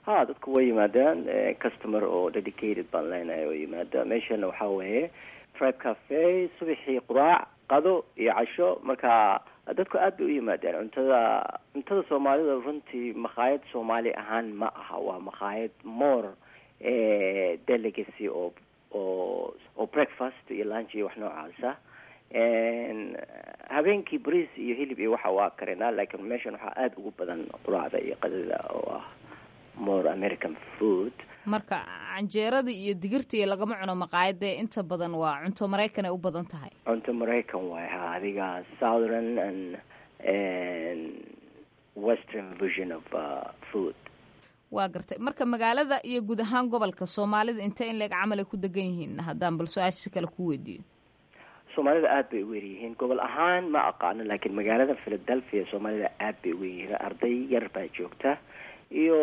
Ha, dadku way yimaadaan. Customer oo dedicated baan leenahay oo yimaada. Meeshana waxaa weeye Tribe Cafe, subaxii quraac, qado iyo casho. Marka dadku aad bay u yimaadeen. Cuntada Soomaalida runtii makhaayad Soomaali ahaan ma aha, waa makhaayad more delicacy oo breakfast iyo lunch iyo wax noocaasa. Habeenkii bariis iyo hilib iyo waxa waa karinaa, laakiin meeshan waxaa aada ugu badan quraacda iyo qadada oo ah more American food. Marka canjeerada iyo digirta iyo lagama cuno maqaayada, inta badan waa cunto Maraykan ay u badan tahay. Cunto Maraykan waay, ha, adiga southern and western version of food. Waa gartay. Marka magaalada iyo guud ahaan gobolka Soomaalida intee in leeg camal ay ku degan yihiin, haddaan bal su-aasha si kale ku weydiiyo? Soomaalida aad bay ugu yaryihiin. Gobol ahaan ma aqaano, laakiin magaalada Philadelphia Soomaalida aad bay ugu yaryihiin. Arday yar baa joogta iyo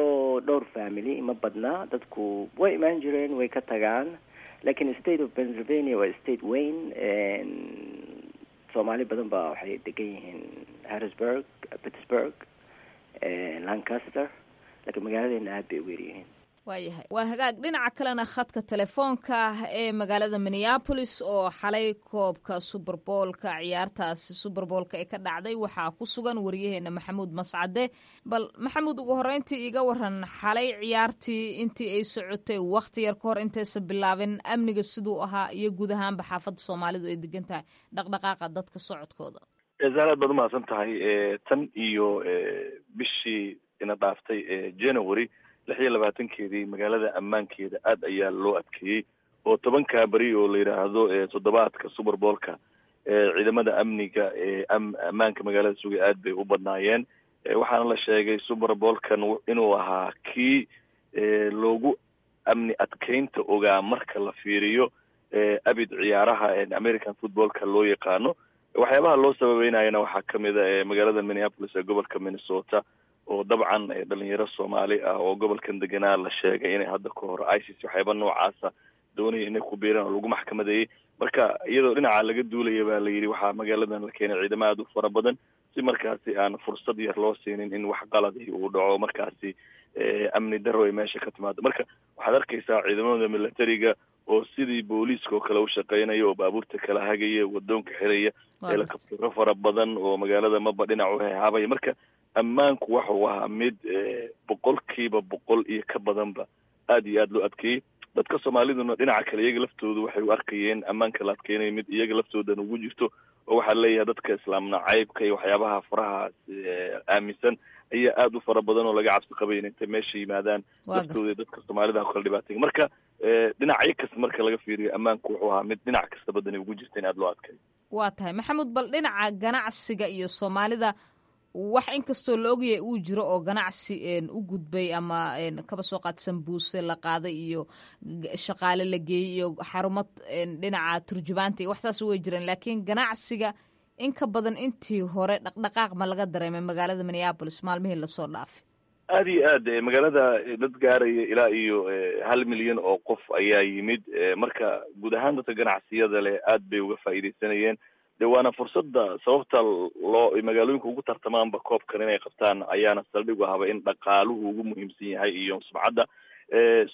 dhowr family, ma badna. Dadku way imaan jireen, way ka tagaan, laakiin state of Pennsylvania waa state weyn. Soomaali badan baa waxay degan yihiin Harrisburg, Pittsburgh, Lancaster, laakiin magaaladeena aad bay ugu yaryihiin. Waayahay, waa hagaag. Dhinaca kalena khadka telefoonka ee magaalada Minneapolis oo xalay koobka Super Bowlka, ciyaartaasi Super Bowlka ee ka dhacday, waxaa ku sugan wariyaheena Maxamuud Mascade. Bal Maxamuud, ugu horreyntii iiga waran xalay ciyaartii intii ay socotay, wakhti yar ka hor intaysan bilaabin, amniga siduu ahaa iyo guud ahaanba xaafadda Soomaalidu ay degan tahay dhaqdhaqaaqa dadka socodkooda. Zahra, aad baad umahadsan tahay. Tan iyo bishii ina dhaaftay January 26-keedii, magaalada ammaankeeda aad ayaa loo adkeeyey, oo 10-kaa beri oo la yidhaahdo toddobaadka Super Bowlka, ciidamada amniga ee ammaanka magaalada sugay aad bay u badnaayeen. Waxaana la sheegay Super Bowlkan inuu ahaa kii loogu amni adkeynta ogaa marka la fiiriyo abid ciyaaraha American footballka loo yaqaano. Waxyaabaha loo sababeynayana waxaa kamid a magaalada Minneapolis ee gobolka Minnesota, oo dabcan dhalinyaro Soomaali ah oo gobolkan deganaa la sheegay inay hadda ka hor ISIS waxyaaba noocaasa doonaya inay ku biiraan oo lagu maxkamadeeyey. Marka iyadoo dhinaca laga duulaya baa la yidhi, waxaa magaaladan la keenay ciidamo aada u fara badan si markaasi aan fursad yar loo siinin in wax qaladi uu dhaco, markaasi amni daro ay meesha ka timaado. Marka waxaad arkaysaa ciidamada militariga oo sidii booliiska oo kale u shaqeynaya oo baabuurta kala hagaya, wadoonka xiraya, helikabtaro fara badan oo magaalada maba dhinac u hehaabaya. Marka ammaanku waxuu ahaa mid 100% iyo ka badanba aad iyo aad loo adkeeyey. Dadka soomaaliduna dhinaca kale iyaga laftoodu waxay u arkayeen ammaanka la adkeynayo mid iyaga laftoodan ugu jirto, oo waxaa leeyahay dadka islaam nacaybka iyo waxyaabaha faraha aaminsan ayaa aada u fara badan oo laga cabsi qabay in intay meesha yimaadaan laftooda dadka soomaalida ku kala dhibaatay. Marka dhinacyo kasta marka laga fiiriyo, ammaanku wuxuu ahaa mid dhinac kasta badani ugu jirta in aada loo adkeeyo. Waa tahay, Maxamuud. Bal dhinaca ganacsiga iyo soomaalida, wax inkastoo la ogyahay uu jiro oo ganacsi u gudbay ama kaba soo qaad sambuuse la qaaday iyo shaqaale la geeyey iyo xarumo dhinaca turjubaanta iyo waxtaas way jireen, laakiin ganacsiga in ka badan intii hore dhaqdhaqaaq ma laga dareemay magaalada Minneapolis maalmihii lasoo dhaafay? Aada iyo aad. Magaalada dad gaaraya ilaa iyo 1 milyan oo qof ayaa yimid. Marka guud ahaan dadka ganacsiyada leh aad bay uga faa'iidaysanayeen. De waana fursadda sababta loo magaalooyinka ugu tartamaanba koobkan inay qabtaan ayaana saldhig u ahaba in dhaqaaluhu ugu muhiimsan yahay iyo sumcadda.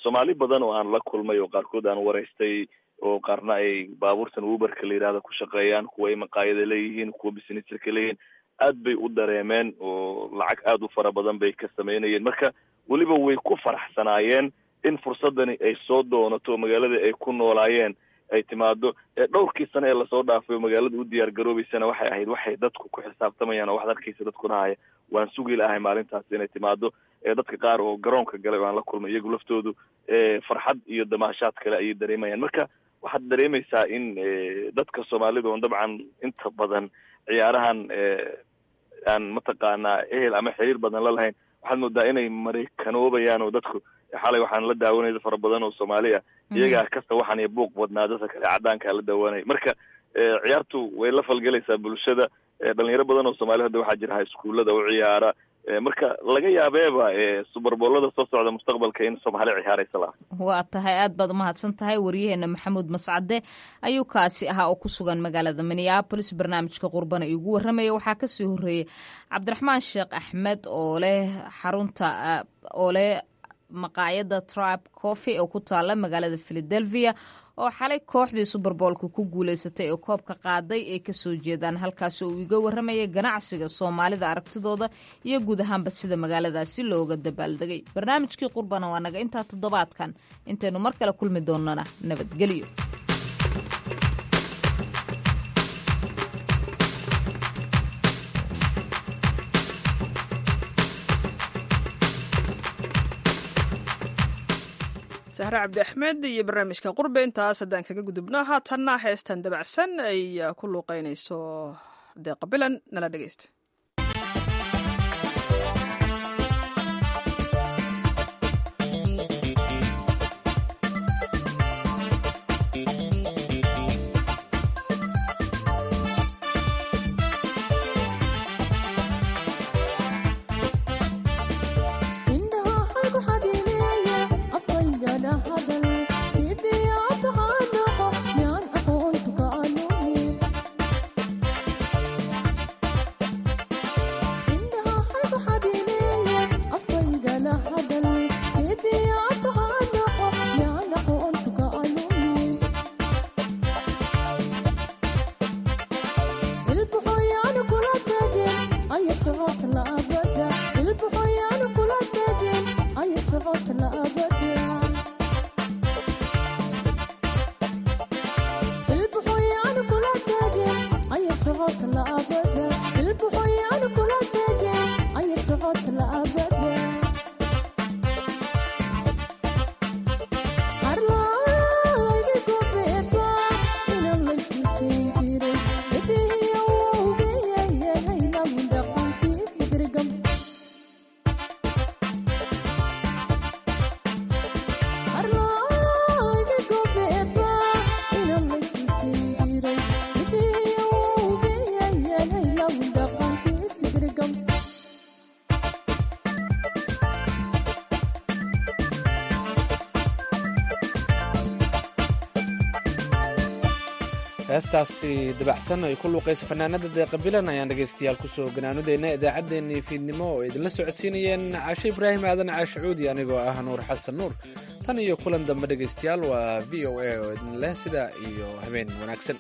Soomaali badan oo aan la kulmay oo qaarkood aan waraystay, oo qaarna ay baabuurtan Uberka la yidhahda ku shaqeeyaan, kuwa ay maqaayada leeyihiin, kuwa businesska leeyihiin, aad bay u dareemeen oo lacag aada u fara badan bay ka sameynayeen. Marka weliba way ku faraxsanaayeen in fursadani ay soo doonato magaaladii ay ku noolaayeen ay timaado. Dhowrkii sano ee lasoo dhaafay oo magaalada u diyaar garoobeysana waxay ahayd waxay dadku ku xisaabtamayaan oo waxaad arkaysa dadku dhahaya waan sugi lahay maalintaas inay timaado. Dadka qaar oo garoonka galay oo aan la kulmay, iyagu laftoodu farxad iyo damaashaad kale ayay dareemayaan. Marka waxaad dareemaysaa in dadka soomaalida oon dabcan inta badan ciyaarahan aan mataqaanaa ehel ama xiriir badan la lahayn, waxaad moodaa inay maraykanoobayaan. Oo dadku xalay waxaan la daawanaya dad fara badan oo soomaali ah, iyagaa kasta waxaan iyo buuq badnaa dadka kale caddaankaa la daawanaya. Marka ciyaartu way la falgelaysaa bulshada. Dhalinyaro badan oo soomaali hadda waxaa jira iskuullada u ciyaara. Marka laga yaabeeba Super Bowlada soo socda mustaqbalka in soomaali ciyaaraysa laha. Waa tahay, aad baad umahadsan tahay. Wariyaheena Maxamuud Mascade ayuu kaasi ahaa oo ku sugan magaalada Minneapolis, barnaamijka qurbana iigu warramaya. Waxaa kasii horeeyey Cabdiraxmaan Sheekh Axmed oo leh xarunta oo leh maqaayadda Tribe Coffee oo ku taala magaalada Philadelphia, oo xalay kooxdii Super Bowlka ku guuleysatay ee koobka qaaday ay kasoo jeedaan halkaasi, uu iga warramayay ganacsiga soomaalida, aragtidooda iyo guud ahaanba sida magaaladaasi looga dabaaldegay. Barnaamijkii qurbana waa naga intaa toddobaadkan. Intaynu mar kale kulmi doonana, nabadgelyo. Sahre Cabdi Axmed iyo barnaamijka qurbe intaas haddaan kaga gudubno. Haatanna heestan dabacsan ay ku luuqeynayso Deeqa Bilan, nala dhegeysta. Heestaasi dabacsan ay ku luuqaysa fanaanada Deeqa Bilan ayaan dhegaystayaal kusoo ganaanudeynaa idaacaddeenii fiidnimo oo idinla socodsiinayeen Caashe Ibraahim Aadan Caashacuudi, anigoo ah Nuur Xasan Nuur. Tan iyo kulan dambe dhegaystayaal, waa VOA oo idin leh sidaa iyo habeen wanaagsan.